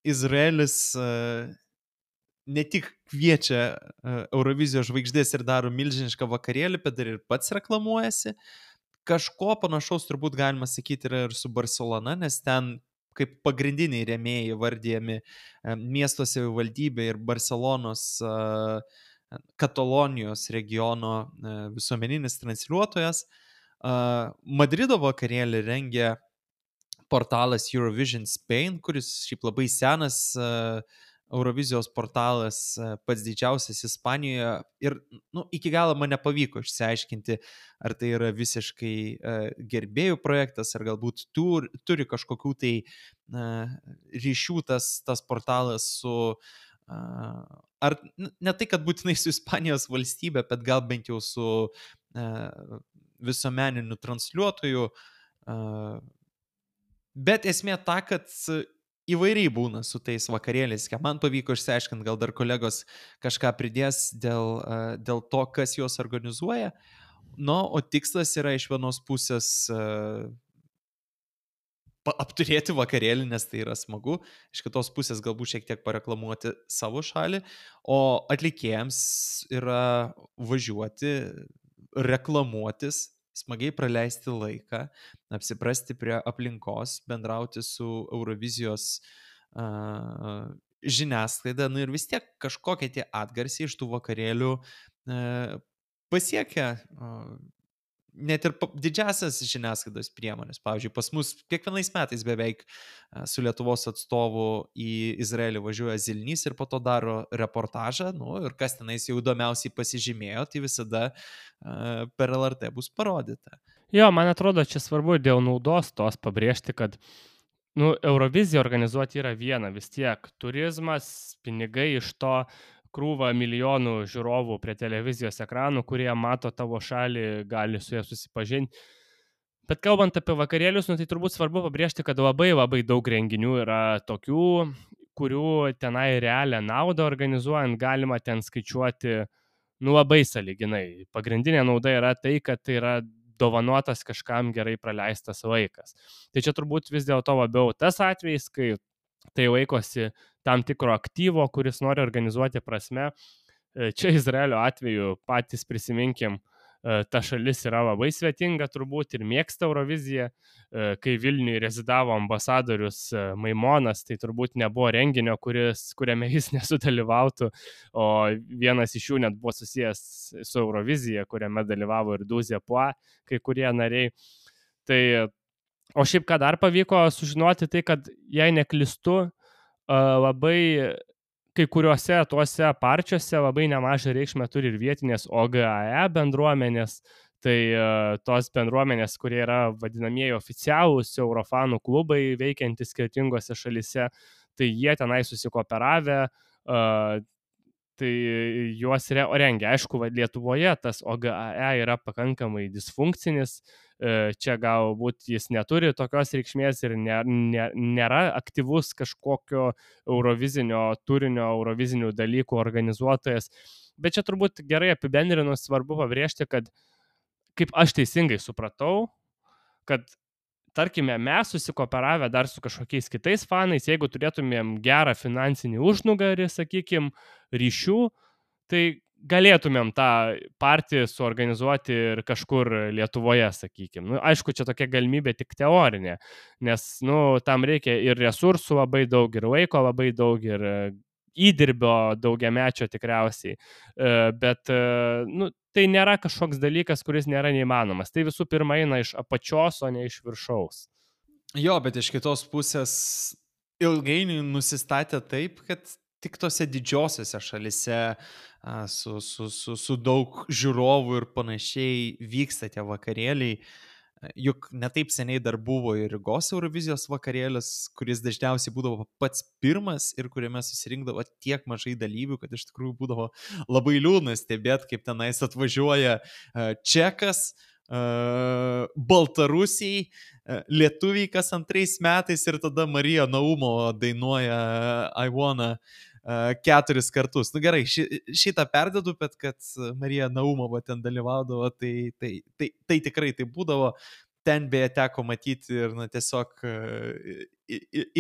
Izraelis uh, ne tik kviečia uh, Eurovizijos žvaigždės ir daro milžinišką vakarėlį, bet dar ir pats reklamuojasi. Kažko panašaus turbūt galima sakyti yra ir su Barcelona, nes ten kaip pagrindiniai rėmėjai vardijami uh, miesto savivaldybė ir Barcelonos uh, Katalonijos regiono uh, visuomeninis transliuotojas. Uh, Madrido vakarėlį rengia portalas Eurovision Spain, kuris šiaip labai senas uh, Eurovizijos portalas, uh, pats didžiausias Ispanijoje. Ir nu, iki galo man nepavyko išsiaiškinti, ar tai yra visiškai uh, gerbėjų projektas, ar galbūt tur, turi kažkokių tai uh, ryšių tas, tas portalas su... Uh, ar ne tai, kad būtinai su Ispanijos valstybė, bet gal bent jau su uh, visuomeniniu transliuotoju. Uh, Bet esmė ta, kad įvairiai būna su tais vakarėliais. Man pavyko išsiaiškinti, gal dar kolegos kažką pridės dėl, dėl to, kas juos organizuoja. Nu, o tikslas yra iš vienos pusės uh, apturėti vakarėlį, nes tai yra smagu. Iš kitos pusės galbūt šiek tiek pareklamuoti savo šalį. O atlikėjams yra važiuoti, reklamuotis, smagiai praleisti laiką, apsiprasti prie aplinkos, bendrauti su Eurovizijos uh, žiniasklaida, nu ir vis tiek kažkokie tie atgarsiai iš tų vakarėlių uh, pasiekia uh, net ir didžiasias žiniasklaidos priemonės. Pavyzdžiui, pas mus kiekvienais metais beveik uh, su Lietuvos atstovu į Izraelį važiuoja Zilnys ir po to daro reportažą, nu ir kas tenais jau įdomiausiai pasižymėjo, tai visada uh, per L R T bus parodyta. Jo, man atrodo, čia svarbu dėl naudos tos pabrėžti, kad nu, Euroviziją organizuoti yra viena vis tiek. Turizmas, pinigai iš to, krūva milijonų žiūrovų prie televizijos ekranų, kurie mato tavo šalį, gali su ja susipažinti. Bet kalbant apie vakarėlius, nu, tai turbūt svarbu pabrėžti, kad labai labai daug renginių yra tokių, kurių tenai realią naudą organizuojant galima ten skaičiuoti nu, labai sąlyginai. Pagrindinė nauda yra tai, kad tai yra dovanotas kažkam gerai praleistas laikas. Tai čia turbūt vis dėlto labiau tas atvejis, kai tai laikosi tam tikro aktyvo, kuris nori organizuoti prasme. Čia Izraelio atveju patys prisiminkim ta šalis yra labai svetinga turbūt ir mėgsta Euroviziją. Kai Vilniuje rezidavo ambasadorius Maimonas, tai turbūt nebuvo renginio, kuris, kuriame jis nesudalyvautų, o vienas iš jų net buvo susijęs su Eurovizija, kuriame dalyvavo ir Duzė Pua, kai kurie nariai. Tai, o šiaip ką dar pavyko sužinoti, tai kad jei neklystu, labai kai kuriuose tuose parčiuose labai nemažą reikšmę turi ir vietinės O G A E bendruomenės, tai tos bendruomenės, kurie yra vadinamieji oficialūs Eurofanų klubai veikiantys skirtingose šalise, tai jie tenai susikooperavę, tai juos rengia. Aišku, Lietuvoje tas O G A E yra pakankamai disfunkcinis, čia galbūt jis neturi tokios reikšmės ir nė, nė, nėra aktyvus kažkokio eurovizinio turinio, eurovizinių dalykų organizuotojas, bet čia turbūt gerai apibendrinus svarbu pabrėžti, kad kaip aš teisingai supratau, kad tarkime, mes susikooperavę dar su kažkokiais kitais fanais, jeigu turėtumėm gerą finansinį užnugarį, sakykim, ryšių, tai galėtumėm tą partiją suorganizuoti ir kažkur Lietuvoje, sakykim. Nu, aišku, čia tokia galimybė tik teorinė, nes nu, tam reikia ir resursų labai daug, ir laiko labai daug, ir įdirbio daugiamečio tikriausiai, bet nu, tai nėra kažkoks dalykas, kuris nėra neįmanomas. Tai visų pirma eina iš apačios, o ne iš viršaus. Jo, bet iš kitos pusės ilgainiui nusistatė taip, kad tik tose didžiosiose šalise su, su, su, su daug žiūrovų ir panašiai vyksta tie vakarėliai. Juk netaip seniai dar buvo ir Rygos Eurovizijos vakarėlis, kuris dažniausiai būdavo pats pirmas ir kuriame susirinkdavo tiek mažai dalyvių, kad iš tikrųjų būdavo labai liūdna stebėti, kaip tenais atvažiuoja čekas, baltarusiai, lietuviai kas antrais metais ir tada Marija Naumo dainuoja I Wanna keturis kartus. Nu gerai, ši, šitą perdedu, bet kad Marija Naumova ten dalyvaudavo, tai, tai, tai, tai tikrai tai būdavo. Ten beje teko matyti ir na, tiesiog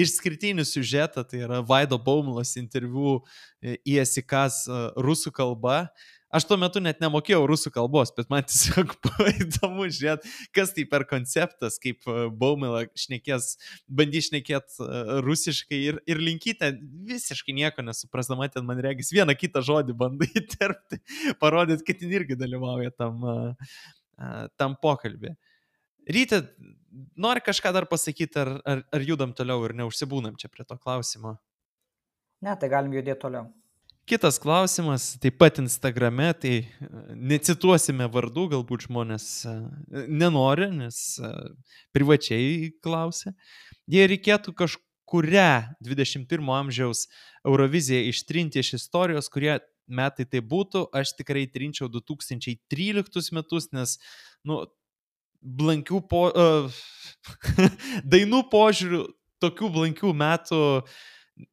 išskirtinį siužetą, tai yra Vaido Baumlos interviu į S I K S rusų kalba. Aš tuo metu net nemokėjau rusų kalbos, bet man tiesiog buvo įdomu žiūrėti, kas tai per konceptas, kaip Baumila šnekės, bandys šnekėti rusiškai ir, ir Linkytė visiškai nieko nesuprasdama, ten man regis vieną kitą žodį bandai įterpti, parodyti, kad jin irgi dalyvauja tam, tam pokalbį. Ryte, nori kažką dar pasakyti, ar, ar, ar judam toliau ir neužsibūnam čia prie to klausimo? Ne, tai galim judėti toliau. Kitas klausimas, taip pat Instagrame, tai necituosime vardų, galbūt žmonės nenori, nes privačiai klausia. Jei reikėtų kažkurią dvidešimt pirmo amžiaus Euroviziją ištrinti iš istorijos, kurie metai tai būtų, aš tikrai trinčiau du tūkstančiai tryliktus metus, nes, nu, blankių po... Uh, dainų požiūrių, tokių blankių metų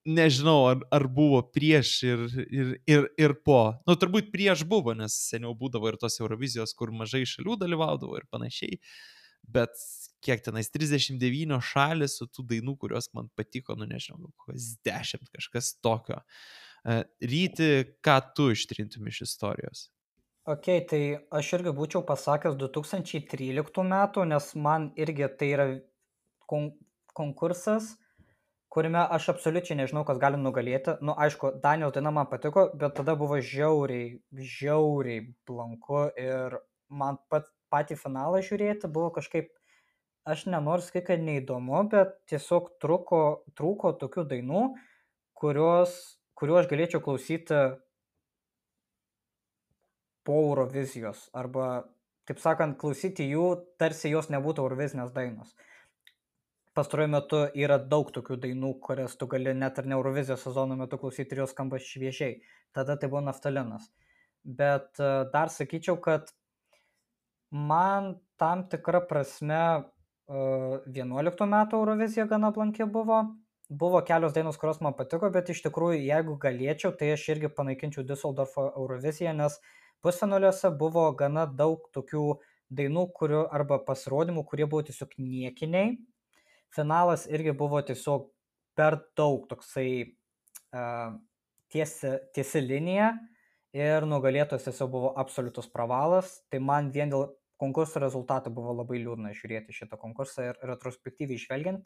nežinau, ar, ar buvo prieš ir, ir, ir, ir po. Nu, turbūt prieš buvo, nes seniau būdavo ir tos Eurovizijos, kur mažai šalių dalyvaudavo ir panašiai. Bet kiek tenais trisdešimt devynios šalis su tų dainų, kurios man patiko, nu nežinau, kokios dešimt, kažkas tokio. Ryti, ką tu ištrintum iš istorijos? Ok, tai aš irgi būčiau pasakęs du tūkstančiai tryliktų metų, nes man irgi tai yra kon- konkursas, kuriame aš absoliučiai nežinau, kas gali nugalėti. Nu, aišku, Danijos daina man patiko, bet tada buvo žiauriai, žiauriai blanku ir man pat, patį finalą žiūrėti buvo kažkaip, aš nenoriu sakyti, kad neįdomu, bet tiesiog truko, trūko tokių dainų, kurios, kuriuo aš galėčiau klausyti po Eurovizijos, arba, taip sakant, klausyti jų, tarsi jos nebūtų Eurovizinės dainos. Pastaruoju metu yra daug tokių dainų, kurias tu gali net ir ne Eurovizijos sezono metu klausyti ir jos skamba šviežiai. Tada tai buvo naftalinas. Bet dar sakyčiau, kad man tam tikra prasme vienuoliktų metų Eurovizija gana blanki buvo. Buvo kelios dainos, kurios man patiko, bet iš tikrųjų, jeigu galėčiau, tai aš irgi panaikinčiau Düsseldorfo Euroviziją, nes pusfinaliuose buvo gana daug tokių dainų, kurių, arba pasirodymų, kurie buvo tiesiog niekiniai. Finalas irgi buvo tiesiog per daug toksai uh, tiesi, tiesi linija ir nugalėtojas tiesiog buvo absoliutus pravalas, tai man vien dėl konkurso rezultatų buvo labai liūdna žiūrėti šitą konkursą ir retrospektyviai žvelgiant,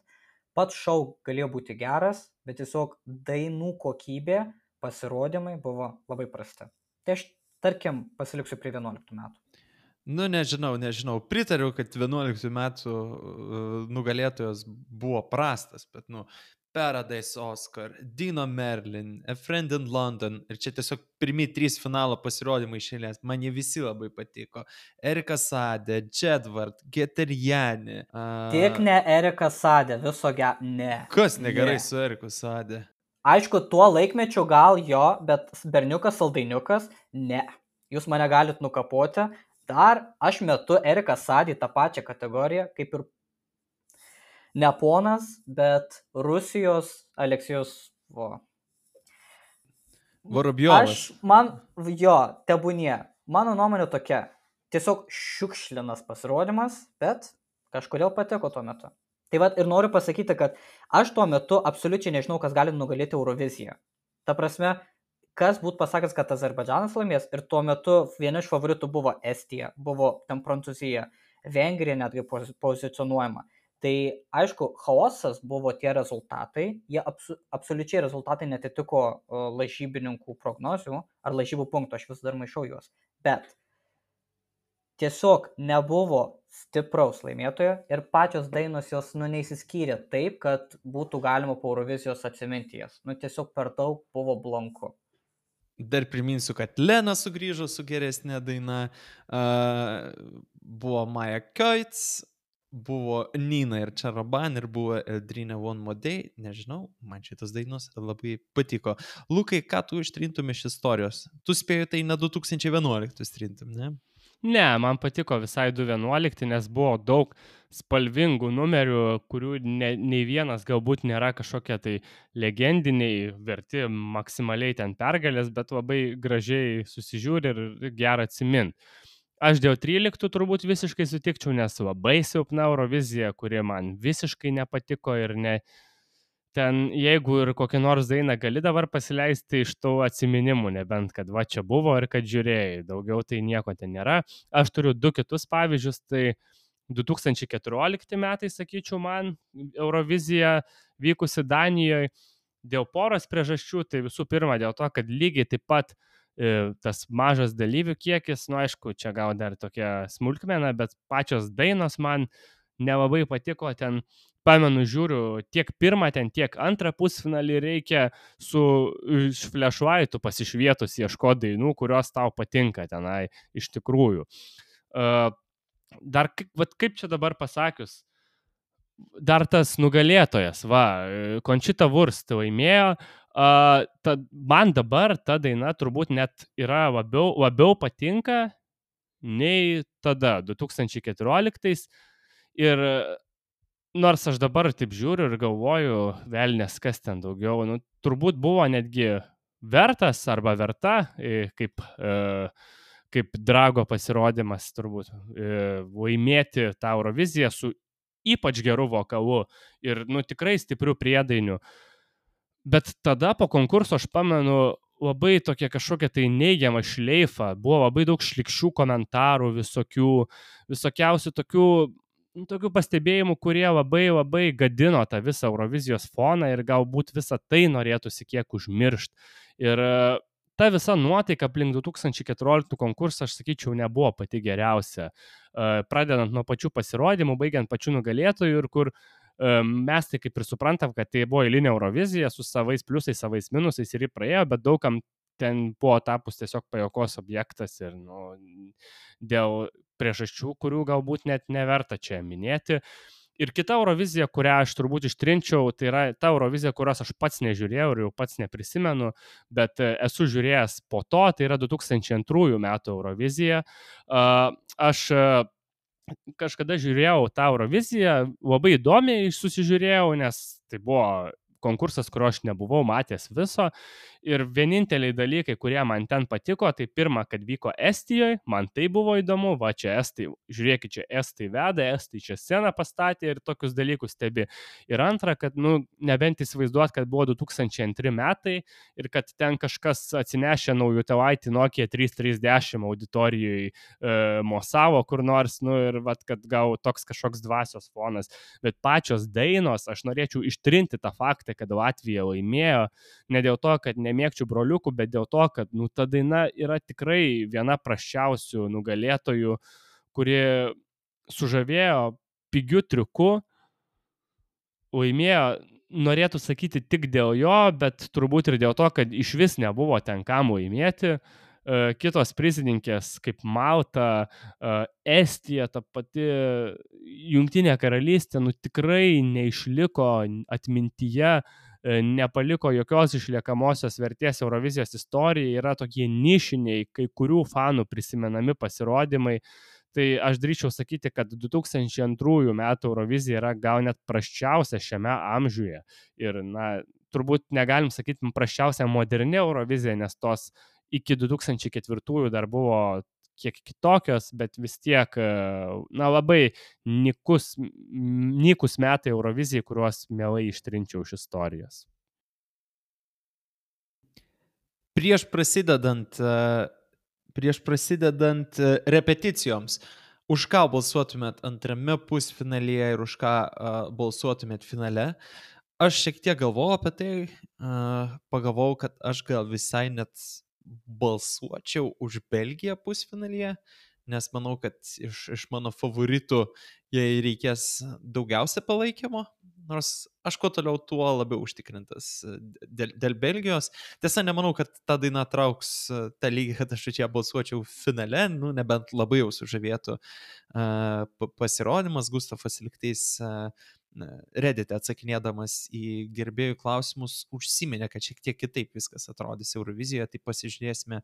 pats šou galėjo būti geras, bet tiesiog dainų kokybė, pasirodymai buvo labai prasti. Tai aš, tarkim, pasiliksiu prie vienuoliktų metų. Nu, nežinau, nežinau. Pritariu, kad vienuoliktų metų uh, nugalėtojas buvo prastas, bet, nu, Paradise Oscar, Dino Merlin, A Friend in London ir čia tiesiog pirmi trys finalo pasirodymai išėlės. Man jie visi labai patiko. Erika Sade, Jedward, Geterjani. Uh... Tik ne Erika Sade, viso ge... Ne. Kas negerai ne. su Eriku Sade? Aišku, tuo laikmečiu gal jo, bet berniukas, saldainiukas, ne. Jūs mane galit nukapoti. Dar aš metu Eriką Sadį tą pačią kategoriją, kaip ir ne ponas, bet Rusijos Aleksijus vo. Vorobjovas. Aš, man, jo, tebūnie. Mano nuomonė tokia. Tiesiog šiukšlinas pasirodymas, bet kažkodėl patiko tuo metu. Tai vat ir noriu pasakyti, kad aš tuo metu absoliučiai nežinau, kas gali nugalėti Euroviziją. Ta prasme, kas būtų pasakęs, kad Azerbaidžanas laimės ir tuo metu viena iš favoritų buvo Estija, buvo ten Prancūzija, Vengrija netgi pozicionuojama. Tai aišku, chaosas buvo tie rezultatai, jie absu, absoliučiai rezultatai netitiko uh, lažybininkų prognozių ar lažybų punktų, aš vis dar maišau juos. Bet tiesiog nebuvo stipraus laimėtojo ir pačios dainos jos nu neįsiskyrė taip, kad būtų galima po Eurovizijos atsiminti jas. Nu tiesiog per daug buvo blanku. Dar priminsiu, kad Lena sugrįžo su geresnė daina, uh, buvo Maja Koits, buvo Nina ir Čaraban ir buvo Eldrina One More Day, nežinau, man šitas dainos labai patiko. Lukai, ką tu ištrintum iš istorijos? Tu spėjai tai ne du tūkstančiai vienuoliktų ištrintum, ne? Ne, man patiko visai du tūkstančiai vienuolikti, nes buvo daug spalvingų numerių, kurių ne, nei vienas galbūt nėra kažkokie tai legendiniai, verti maksimaliai ten pergalės, bet labai gražiai susižiūri ir gerą atsimint. Aš dėl tryliktų turbūt visiškai sutikčiau, nes labai silpna Eurovizija, kuri man visiškai nepatiko ir ne... Ten, jeigu ir kokią nors dainą gali dabar pasileisti iš tų atsiminimų, nebent kad va čia buvo ir kad žiūrėjai, daugiau tai nieko ten nėra. Aš turiu du kitus pavyzdžius, tai du tūkstančiai keturiolikti metai, sakyčiau, man Eurovizija vykusi Danijoje dėl poros priežasčių, tai visų pirma dėl to, kad lygiai taip pat e, tas mažas dalyvių kiekis, nu aišku, čia gal dar tokia smulkmena, bet pačios dainos man nelabai patiko ten. Pamenu, žiūriu, tiek pirmą ten, tiek antrą pusfinalį reikia su flashlightu pasišvietus ieškoti dainų, kurios tau patinka tenai iš tikrųjų. Uh, dar vat, kaip čia dabar pasakius, dar tas nugalėtojas, va, Conchita Wurst laimėjo, uh, ta, man dabar ta daina turbūt net yra labiau, labiau patinka nei tada, du tūkstančiai keturioliktais ir nors aš dabar taip žiūriu ir galvoju, velnės kas ten daugiau, nu, turbūt buvo netgi vertas arba verta, kaip, kaip Drago pasirodymas turbūt, laimėti tą Euroviziją su ypač geru vokalu ir nu, tikrai stiprių priedainių. Bet tada po konkurso aš pamenu labai tokia kažkokia tai neigiama šleifa, buvo labai daug šlikščių komentarų, visokių, visokiausių tokių tokių pastebėjimų, kurie labai labai gadino tą visą Eurovizijos foną ir galbūt visą tai norėtųsi kiek užmiršti. Ir ta visa nuotaika aplink du tūkstančiai keturioliktų konkursą, aš sakyčiau, nebuvo pati geriausia. Pradedant nuo pačių pasirodymų, baigiant pačių nugalėtojų ir kur mes tai kaip ir suprantam, kad tai buvo eilinė Eurovizija su savais pliusais, savais minusais ir jį praėjo, bet daugam ten buvo tapus tiesiog pajuokos objektas ir nu, dėl priežasčių, kurių galbūt net neverta čia minėti. Ir kita Eurovizija, kurią aš turbūt ištrinčiau, tai yra ta Eurovizija, kurios aš pats nežiūrėjau ir jau pats neprisimenu, bet esu žiūrėjęs po to, tai yra du tūkstančiai antrųjų metų Eurovizija. Aš kažkada žiūrėjau tą Euroviziją, labai įdomiai susižiūrėjau, nes tai buvo konkursas, kurio aš nebuvau matęs viso. Ir vieninteliai dalykai, kurie man ten patiko, tai pirma, kad vyko Estijoje, man tai buvo įdomu, va čia Estai, žiūrėkit, čia Estai veda, Estai čia sceną pastatė ir tokius dalykus stebi. Ir antra, kad, nu, nebent įsivaizduot, kad buvo du tūkstančiai antri metai ir kad ten kažkas atsinešė naujų telaitį Nokia trys trisdešimt auditorijoje e, mosavo kur nors, nu ir vat, kad gal toks kažkoks dvasios fonas. Bet pačios dainos, aš norėčiau ištrinti tą faktą, kad Latvija laimėjo, ne dėl to, kad nemėgčiau broliukų, bet dėl to, kad nu, ta daina yra tikrai viena prasčiausių nugalėtojų, kuri sužavėjo pigiu triuku, laimėjo, norėtų sakyti tik dėl jo, bet turbūt ir dėl to, kad iš vis nebuvo ten kam laimėti. Kitos prizininkės kaip Malta, Estija, ta pati Jungtinė karalystė, nu tikrai neišliko atmintyje, nepaliko jokios išliekamosios vertės Eurovizijos istorijai, yra tokie nišiniai, kai kurių fanų prisimenami pasirodymai. Tai aš drįčiau sakyti, kad du tūkstančiai antrųjų metų Eurovizija yra gal net prasčiausia šiame amžiuje. Ir, na, turbūt negalim sakyti prasčiausia moderni Eurovizija, nes tos iki du tūkstančiai ketvirtųjų dar buvo kiek kitokios, bet vis tiek, na, labai nikus, nikus metai Eurovizijai, kuriuos mielai ištrinčiau iš istorijos. Prieš prasidedant, prieš prasidedant repeticijoms, už ką balsuotumėt antrame pusfinalyje ir už ką balsuotumėt finale? Aš šiek tiek galvojau apie tai, pagalvojau, kad aš gal visai net balsuočiau už Belgiją pusfinalyje, nes manau, kad iš, iš mano favoritų jai reikės daugiausia palaikymo, nors aš kuo toliau tuo labiau užtikrintas dėl, dėl Belgijos. Tiesa, nemanau, kad ta daina trauks tą lygį, kad aš čia balsuočiau finale, nu, nebent labai jau sužavėtų uh, pasirodymas. Gustavas Liktais uh, Reddite atsakinėdamas į gerbėjų klausimus užsiminė, kad šiek tiek kitaip viskas atrodys Eurovizijoje, tai pasižiūrėsime,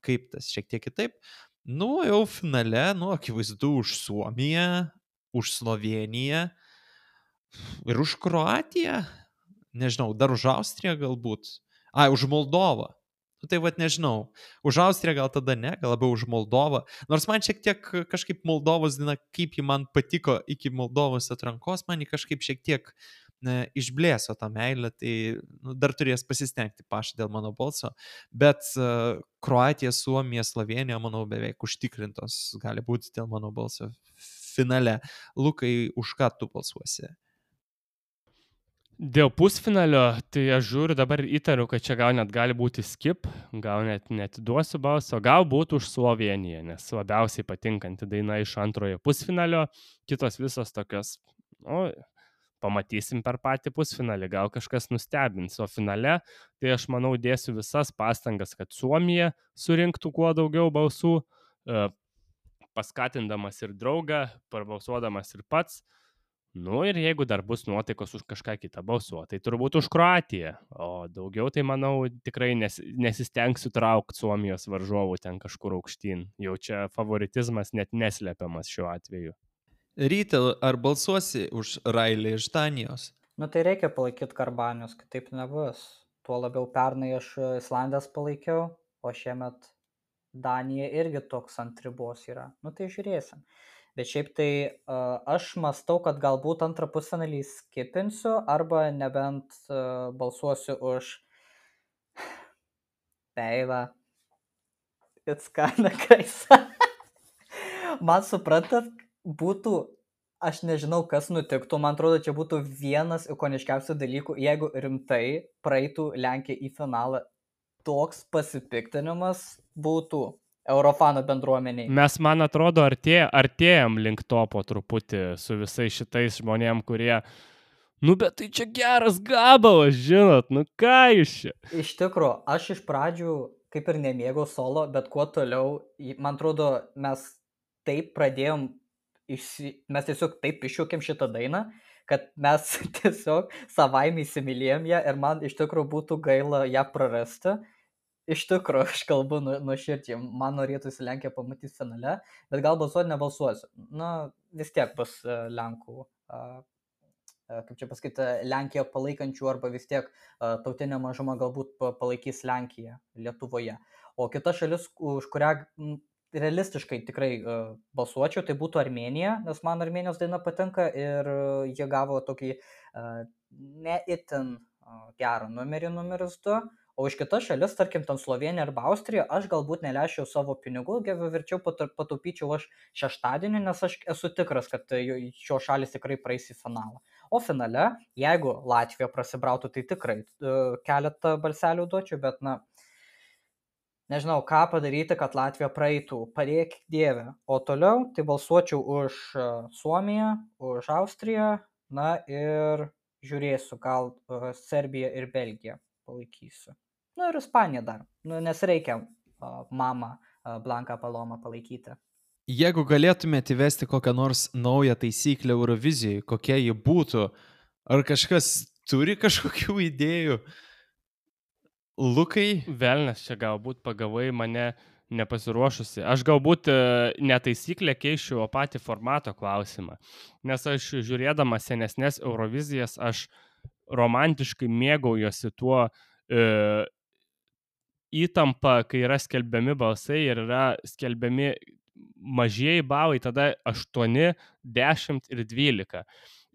kaip tas šiek tiek kitaip. Nu, jau finale, nu, akivaizdu už Suomiją, už Slovėniją ir už Kroatiją, nežinau, dar už Austriją galbūt, ai, už Moldovą. Nu, tai vat nežinau, už Austriją gal tada ne, gal labiau už Moldovą, nors man šiek tiek kažkaip Moldovos diena, kaip ji man patiko iki Moldovos atrankos, man ji kažkaip šiek tiek ne, išblėso tą meilę, tai nu, dar turės pasistengti Paša dėl mano balso, bet uh, Kroatija, Suomija, Slovėnija, manau, beveik užtikrintos gali būti dėl mano balso finale. Lukai, už ką tu balsuosi? Dėl pusfinalio, tai aš žiūriu, dabar įtariu, kad čia gal net gali būti skip, gal net netiduosiu balso, gal būtų už Slovėniją, nes labiausiai patinkanti daina iš antrojo pusfinalio, kitos visos tokios, nu, pamatysim per patį pusfinalį, gal kažkas nustebins, o finale, tai aš manau dėsiu visas pastangas, kad Suomija surinktų kuo daugiau balsų, paskatindamas ir draugą, parbalsuodamas ir pats. Nu ir jeigu dar bus nuotaikos už kažką kitą balsuoti, tai turbūt už Kroatiją, o daugiau tai manau tikrai nes, nesistengsiu traukti Suomijos varžovų ten kažkur aukštyn, jau čia favoritizmas net neslepiamas šiuo atveju. Ryte, ar balsuosi už Railį iš Danijos? Nu tai reikia palaikyti Karbanius, kitaip nebus. Tuo labiau pernai aš Islandės palaikiau, o šiemet Danija irgi toks ant ribos yra. Nu tai žiūrėsim. Bet šiaip tai uh, aš mastau, kad galbūt antrą pusfinalį skipinsiu arba nebent uh, balsuosiu už Peivą. It's kinda crazy. Man suprantat, būtų, aš nežinau, kas nutiktų, man atrodo, čia būtų vienas ikoniškiausių dalykų, jeigu rimtai praeitų Lenkija į finalą, toks pasipiktinimas būtų Eurofanų bendruomeniai. Mes, man atrodo, artė, artėjam link to po truputį su visais šitais žmonėm, kurie, nu, bet tai čia geras gabalas, žinot, nu ką jūs čia? Iš tikro, aš iš pradžių kaip ir nemėgau solo, bet kuo toliau, man atrodo, mes taip pradėjom, išsi... mes tiesiog taip iššūkėm šitą dainą, kad mes tiesiog savaime įsimylėjom ją ir man iš tikro būtų gaila ją prarasti. Iš tikrųjų, aš kalbu nu, nuoširdžiai, man norėtųsi Lenkiją pamatyti finale, bet gal balsuoti nebalsuosiu. Na, vis tiek bus uh, Lenkų uh, kaip čia pasakyti, Lenkiją palaikančių arba vis tiek tautinė mažuma galbūt palaikys Lenkiją Lietuvoje. O kita šalis, už kurią realistiškai tikrai balsuočiau, tai būtų Armėnija, nes man Armėnijos daina patinka ir jie gavo tokį ne itin gerą numerį numeris du. O už kitas šalis, tarkim, ten Slovenija arba Austrija, aš galbūt neleisčiau savo pinigų, verčiau pataupyčiau aš šeštadienį, nes aš esu tikras, kad šios šalis tikrai praeis į finalą. O finale, jeigu Latvija prasibrautų, tai tikrai keletą balselių duočiau, bet, na, nežinau, ką padaryti, kad Latvija praeitų, padėk Dieve. O toliau, tai balsuočiau už Suomiją, už Austriją, na ir žiūrėsiu, gal Serbiją ir Belgiją palaikysiu. Nu ir Ispaniją dar, nu, nes reikia uh, mamą uh, Blanką Palomą palaikyti. Jeigu galėtumėte įvesti kokią nors naują taisyklę Eurovizijai, kokia ji būtų, ar kažkas turi kažkokių idėjų? Lukai? Velnes, čia galbūt pagavai mane nepasiruošusi. Aš galbūt ne taisyklę keičiu, o patį formato klausimą. Nes aš žiūrėdama senesnės Eurovizijas, aš romantiškai mėgaujuosi tuo e, įtampa, kai yra skelbiami balsai ir yra skelbiami mažieji balai, tada aštuoni, dešimt ir dvylika.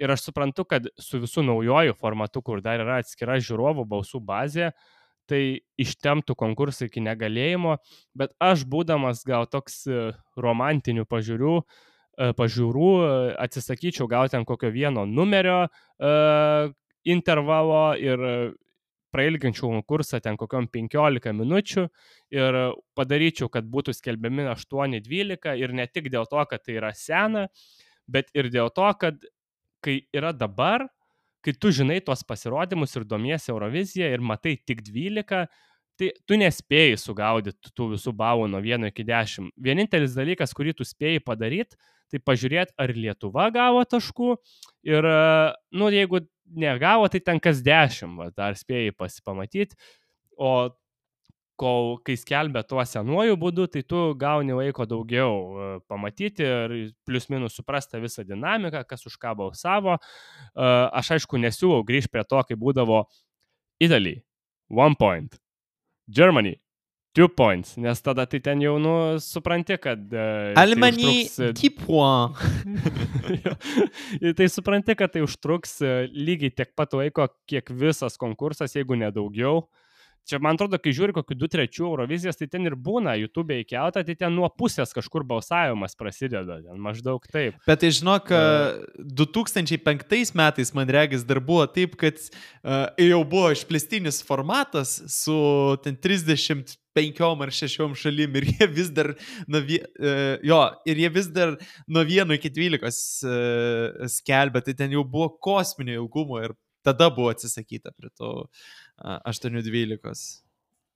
Ir aš suprantu, kad su visų naujojų formatu, kur dar yra atskira žiūrovų balsų bazė, tai ištemptų konkursą iki negalėjimo, bet aš būdamas gal toks romantinių pažiūrų, pažiūrų atsisakyčiau gal ten kokio vieno numerio uh, intervalo ir prailginčiau konkursą ten kokiom penkiolika minučių ir padaryčiau, kad būtų skelbiami aštuoni dvylika ir ne tik dėl to, kad tai yra sena, bet ir dėl to, kad kai yra dabar, kai tu žinai tuos pasirodymus ir domiesi Euroviziją ir matai tik dvylika, tai tu nespėjai sugaudyti tų visų balų nuo vieno iki dešimt. Vienintelis dalykas, kurį tu spėjai padaryti, tai pažiūrėti, ar Lietuva gavo taškų ir, nu, jeigu negavo, tai ten kas dešimt, va, dar spėjai pasipamatyti, o kol, kai skelbia tuo senuoju būdu, tai tu gauni laiko daugiau pamatyti ir plius minus suprasti visą dinamiką, kas už ką balsavo. Aš aišku nesiūlau grįžti prie to, kai būdavo Italy, one point, Germany, two points, nes tada tai ten jau, nu, supranti, kad... Almany, tai dix points. Tai supranti, kad tai užtruks lygiai tiek pat laiko, kiek visas konkursas, jeigu nedaugiau. Čia, man atrodo, kai žiūri kokių du trečių Eurovizijas, tai ten ir būna YouTube įkelta, tai ten nuo pusės kažkur balsavimas prasideda, ten maždaug taip. Bet tai žinok, du tūkstančiai penktais metais, man regis, dar buvo taip, kad uh, jau buvo išplėstinis formatas su ten trisdešimt penkiom ar šešiom šalim ir jie vis dar nuo, uh, jo, ir jie vis dar nuo vieno iki dvylikos uh, skelbia, tai ten jau buvo kosminio ilgumo ir tada buvo atsisakyta prie to aštuoni dvylikos.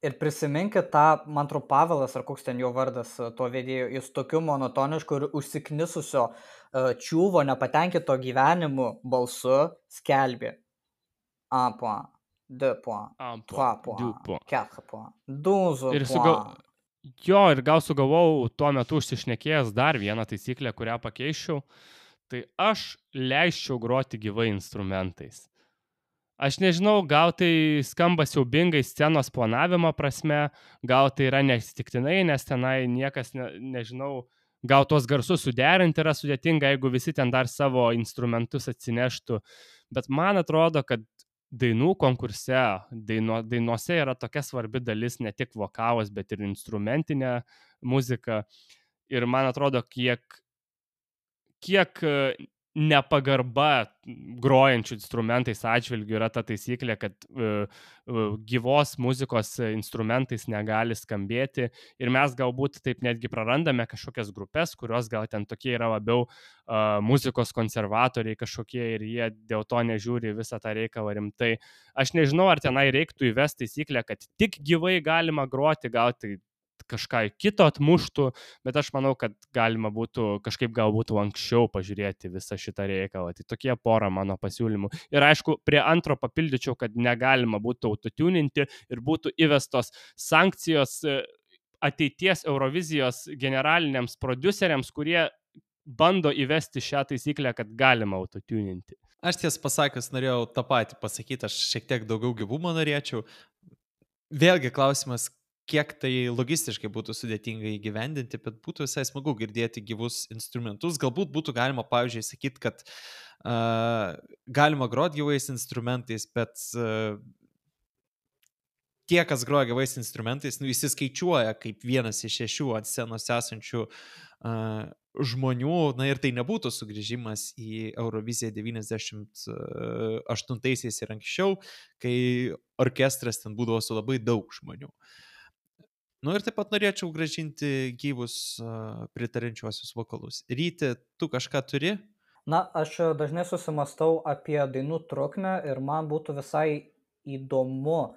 Ir prisiminkit tą, man atrodo, Pavelas, ar koks ten jo vardas to vedėjo, jis tokiu monotonišku ir užsiknisusio uh, čiūvo nepatenkito gyvenimu balsu skelbė. Un point, deux points, trois points, quatre points, douze points. Sugal... Jo, ir gal sugalvojau tuo metu užsišnekėjęs dar vieną taisyklę, kurią pakeičiau, tai aš leisčiau groti gyvai instrumentais. Aš nežinau, gal tai skamba siaubingai scenos planavimo prasme, gal tai yra neatsitiktinai, nes tenai niekas, ne, nežinau, gal tuos garsus suderinti yra sudėtinga, jeigu visi ten dar savo instrumentus atsineštų. Bet man atrodo, kad dainų konkurse, daino, dainuose yra tokia svarbi dalis, ne tik vokalas, bet ir instrumentinė muzika. Ir man atrodo, kiek, kiek nepagarba grojančių instrumentais atžvilgių yra ta taisyklė, kad uh, uh, gyvos muzikos instrumentais negali skambėti ir mes galbūt taip netgi prarandame kažkokias grupės, kurios gal ten tokie yra labiau uh, muzikos konservatoriai kažkokie ir jie dėl to nežiūri visą tą reikalą rimtai. Aš nežinau, ar tenai reiktų įvesti taisyklę, kad tik gyvai galima groti, gal tai kažką kito atmuštų, bet aš manau, kad galima būtų kažkaip galbūt anksčiau pažiūrėti visą šitą reikalą. Tai tokie pora mano pasiūlymų. Ir aišku, prie antro papildyčiau, kad negalima būtų autotuninti ir būtų įvestos sankcijos ateities Eurovizijos generaliniams prodiuseriams, kurie bando įvesti šią taisyklę, kad galima autotuninti. Aš tiesą pasakius norėjau tą patį pasakyti, aš šiek tiek daugiau gyvumo norėčiau. Vėlgi klausimas, kiek tai logistiškai būtų sudėtinga įgyvendinti, bet būtų visai smagu girdėti gyvus instrumentus. Galbūt būtų galima, pavyzdžiui, sakyti, kad uh, galima groti gyvais instrumentais, bet uh, tie, kas groja gyvais instrumentais, nu, įsiskaičiuoja kaip vienas iš šešių ant scenos esančių uh, žmonių, na ir tai nebūtų sugrįžimas į Euroviziją devyniasdešimt aštuntaisiais ir anksčiau, kai orkestras ten būdavo su labai daug žmonių. Nu ir taip pat norėčiau grąžinti gyvus uh, pritarančiuosius vokalus. Ryti, tu kažką turi? Na, aš dažnai susimastau apie dainų trukmę ir man būtų visai įdomu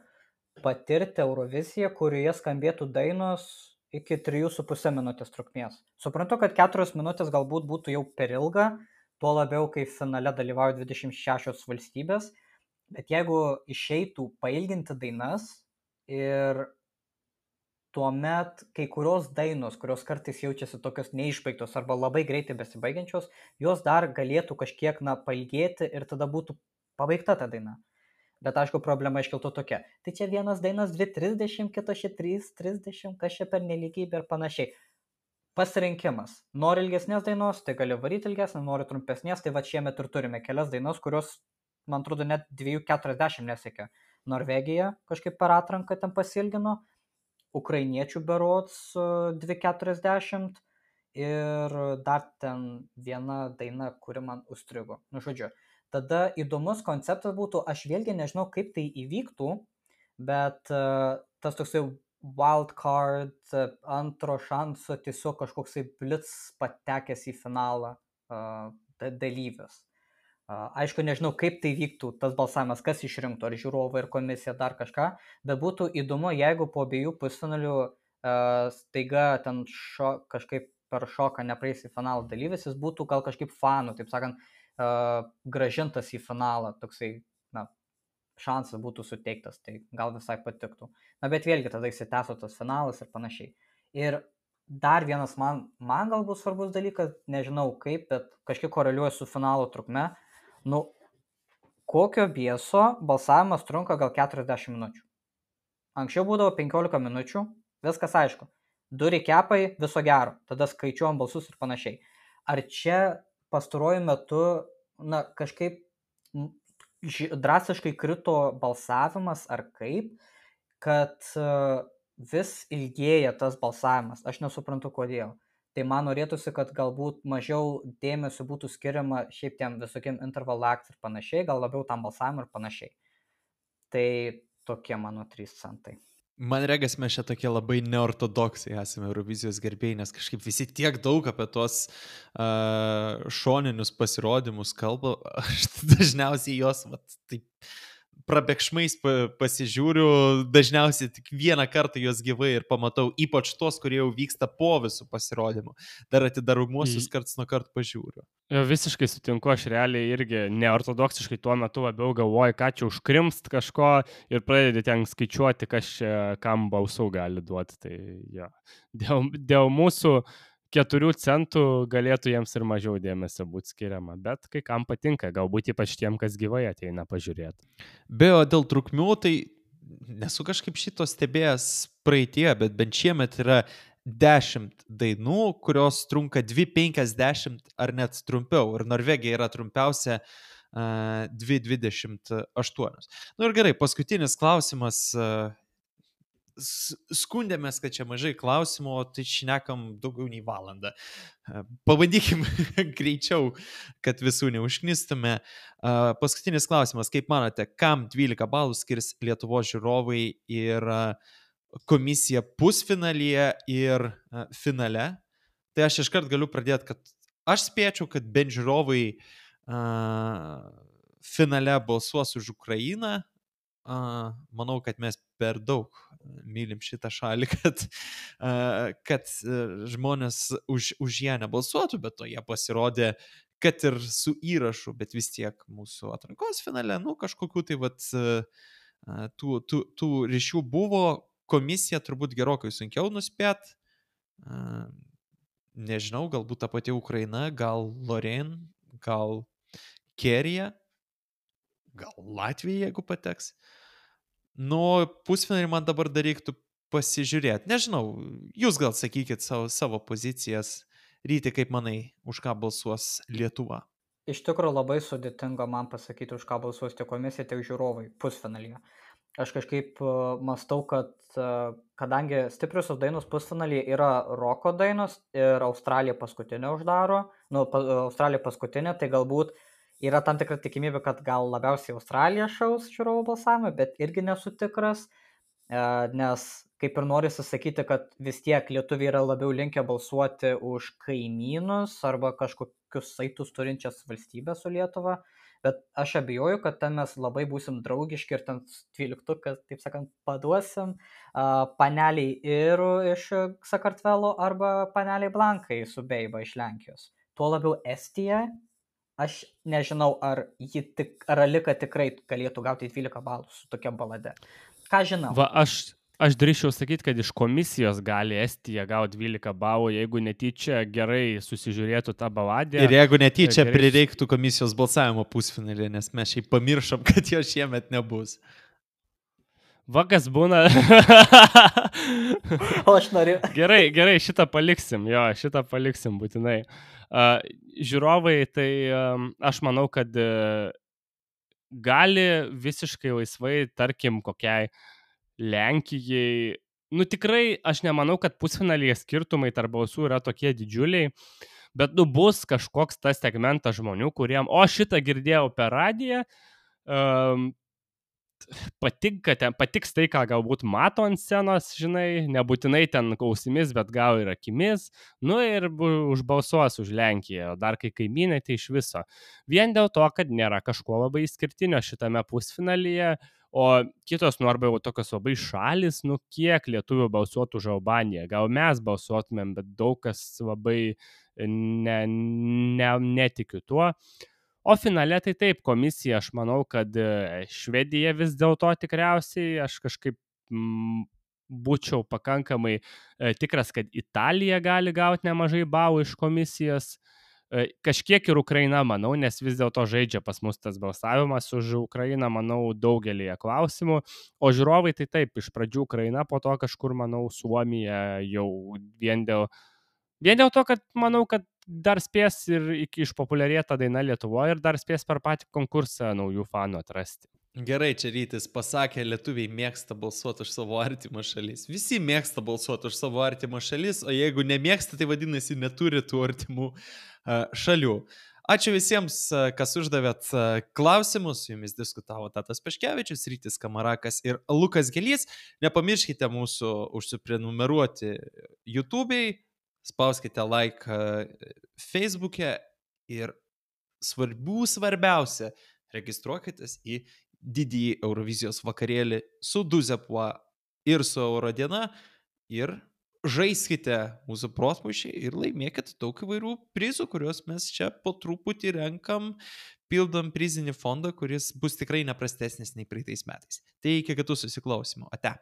patirti Euroviziją, kurioje skambėtų dainos iki trijų su pusė minutės trukmės. Suprantu, kad keturios minutės galbūt būtų jau per ilga, tuo labiau, kai finale dalyvauja dvidešimt šešios valstybės, bet jeigu išeitų pailginti dainas ir tuomet kai kurios dainos, kurios kartais jaučiasi tokios neišbaigtos arba labai greitai besibaigiančios, jos dar galėtų kažkiek na, pailgėti ir tada būtų pabaigta ta daina. Bet aišku, problema iškiltų tokia. Tai čia vienas dainas dvi trisdešimt, kitas čia trys trisdešimt, kas čia per nelygybė ir panašiai. Pasirinkimas. Nori ilgesnės dainos, tai gali varyti ilgesnę, nori trumpesnės, tai va šiemet ir turime kelias dainos, kurios, man atrodo, net dvi keturiasdešimt nesiekia. Norvegija kažkaip per atranką ten pasilgino, ukrainiečių berods dvi keturiasdešimt ir dar ten viena daina, kuri man užstrigo. Nu, žodžiu. Tada įdomus konceptas būtų, aš vėlgi nežinau, kaip tai įvyktų, bet uh, tas toksai wildcard, uh, antro šanso, tiesiog kažkoksai blitz patekęs į finalą uh, dalyvis. Uh, aišku, nežinau, kaip tai vyktų tas balsavimas, kas išrinktų, ar žiūrovai ir komisija, dar kažką, bet būtų įdomu, jeigu po abiejų pusfinalių uh, staiga ten šo, kažkaip per šoką nepraeis į finalą dalyvis, jis būtų gal kažkaip fanų, taip sakant, Uh, gražintas į finalą, toksai, na, šansas būtų suteiktas, tai gal visai patiktų. Na, bet vėlgi tada įsitęsų tas finalas ir panašiai. Ir dar vienas man, man galbūt svarbus dalykas, nežinau kaip, bet kažkiek koreliuoja su finalo trukme. Nu, kokio bieso balsavimas trunka gal keturiasdešimt minučių. Anksčiau būdavo penkiolika minučių, viskas aišku. Du rekepai, viso gero, tada skaičiuojam balsus ir panašiai. Ar čia pastaruoju metu, na, kažkaip drastiškai krito balsavimas ar kaip, kad vis ilgėja tas balsavimas. Aš nesuprantu kodėl. Tai man norėtųsi, kad galbūt mažiau dėmesio būtų skiriama šiaip tiem visokiem interval acts ir panašiai, gal labiau tam balsavimui ir panašiai. Tai tokie mano trys centai. Man regas, mes čia tokie labai neortodoksai esame Eurovizijos gerbėjai, nes kažkaip visi tiek daug apie tuos uh, šoninius pasirodymus kalba, aš dažniausiai jos vat, taip prabėgšmais pasižiūriu, dažniausiai tik vieną kartą juos gyvai ir pamatau, ypač tos, kurie jau vyksta po visų pasirodymų. Dar atidaromuosius karts nuo karto pažiūriu. Jo, visiškai sutinku, aš realiai irgi neortodoksiškai tuo metu labiau galvoju, ką čia užkrimst kažko ir pradedi ten skaičiuoti, kas čia kam balsų gali duoti. Tai jo, dėl, dėl mūsų keturių centų galėtų jiems ir mažiau dėmesio būti skiriama, bet kai kam patinka, galbūt ypač tiem, kas gyvai ateina pažiūrėti. Be o dėl trukmių, tai nesu kažkaip šito stebėjęs praeitie, bet bent šiemet yra dešimt dainų, kurios trunka dvi penkiasdešimt ar net trumpiau, ir Norvegija yra trumpiausia uh, dvi dvidešimt aštuonios. Nu ir gerai, paskutinis klausimas. Uh, skundėmės, kad čia mažai klausimų, tai šnekam daugiau nei valandą. Pabandykim greičiau, kad visų neužknistume. Paskutinis klausimas, kaip manote, kam dvylika balų skirs Lietuvos žiūrovai ir komisija pusfinalyje ir finale? Tai aš iškart galiu pradėti, kad aš spėčiau, kad bent žiūrovai finale balsuos už Ukrainą. Uh, manau, kad mes per daug mylim šitą šalį, kad, uh, kad uh, žmonės už, už ją nebalsuotų, bet to jie pasirodė, kad ir su įrašu, bet vis tiek mūsų atrankos finale, nu, kažkokių tai vat, uh, tų, tų, tų ryšių buvo, komisija turbūt gerokai sunkiau nuspėt, uh, nežinau, galbūt ta pati Ukraina, gal Lorraine, gal Kerija. gal Latvija, jeigu pateks. Nu, pusfinalį man dabar dar reiktų pasižiūrėti. Nežinau, jūs gal sakykit savo, savo pozicijas. Ryti, kaip manai, už ką balsuos Lietuva? Iš tikrųjų labai sudėtinga man pasakyti, už ką balsuos tiek komisija, tiek žiūrovai pusfinalyje. Aš kažkaip uh, mastau, kad uh, kadangi stipriosios dainos pusfinalyje yra roko dainos ir Australija paskutinė uždaro, nu, pa, Australija paskutinė, tai galbūt yra tam tikra tikimybė, kad gal labiausiai Australija šaus žiūrovų balsavimą, bet irgi nesu tikras, uh, nes kaip ir nori susakyti, kad vis tiek lietuviai yra labiau linkę balsuoti už kaimynus arba kažkokius saitus turinčias valstybės su Lietuva, bet aš abejoju, kad ten mes labai būsim draugiški ir ten dvyliktuką, taip sakant, paduosim uh, paneliai ir iš Sakartvelo arba paneliai Blankai su Beiba iš Lenkijos. Tuo labiau Estija, aš nežinau, ar, ji tik, ar Alika tikrai galėtų gauti dvylika balų su tokia balade. Ką žinau? Va, aš... Aš drįščiau sakyti, kad iš komisijos gali Estija gauti dvylika balų, jeigu netyčia gerai susižiūrėtų tą baladę. Ir jeigu netyčia gerai... prireiktų komisijos balsavimo pusfinalį, nes mes šiaip pamiršom, kad jo šiemet nebus. Vakas būna. O aš noriu. Gerai, gerai, šitą paliksim, jo, šitą paliksim būtinai. Uh, žiūrovai, tai um, aš manau, kad uh, gali visiškai laisvai, tarkim, kokiai Lenkijai, nu tikrai aš nemanau, kad pusfinalyje skirtumai tarp balsų yra tokie didžiuliai, bet nu bus kažkoks tas segmentas žmonių, kuriem, o šitą girdėjau per radiją, um, patinka ten, patiks tai, ką galbūt mato ant scenos, žinai, nebūtinai ten ausimis, bet gal ir akimis, nu ir užbalsuos už Lenkiją, o dar kai kaimynai, tai iš viso. Vien dėl to, kad nėra kažko labai išskirtinio šitame pusfinalyje, o kitos, nu arba jau tokios labai šalis, nu kiek lietuvių balsuotų už Albaniją. Gal mes balsuotumėm, bet daug kas labai ne, ne, netikiu tuo. O finale tai taip, komisija, aš manau, kad Švedija vis dėlto tikriausiai, aš kažkaip m, būčiau pakankamai e, tikras, kad Italija gali gauti nemažai balų iš komisijos. Kažkiek ir Ukraina, manau, nes vis dėlto žaidžia pas mus tas balsavimas už Ukrainą, manau, daugelį klausimų. O žiūrovai tai taip, iš pradžių Ukraina, po to kažkur, manau, Suomija jau vien dėl, vien dėl to, kad manau, kad dar spės ir iki išpopuliarėta daina Lietuvoje ir dar spės per patį konkursą naujų fanų atrasti. Gerai, čia Rytis pasakė, lietuviai mėgsta balsuoti už savo artimą šalis. Visi mėgsta balsuoti už savo artimą šalis, o jeigu nemėgsta, tai vadinasi neturi tų artimų uh, šalių. Ačiū visiems, uh, kas uždavėt uh, klausimus. Su jumis diskutavo Tadas Paškevičius, Rytis Kamarakas ir Lukas Gelys. Nepamirškite mūsų užsiprenumeruoti YouTube'ai, spauskite like uh, Facebook'e ir svarbių svarbiausia, registruokitės į didįjį Eurovizijos vakarėlį su Duzepua ir su Eurodiena ir žaiskite mūsų protmūšį ir laimėkit daug įvairių prizų, kuriuos mes čia po truputį renkam, pildom prizinį fondą, kuris bus tikrai neprastesnis nei praeitais metais. Tai iki kitų susiklausimų. Ate.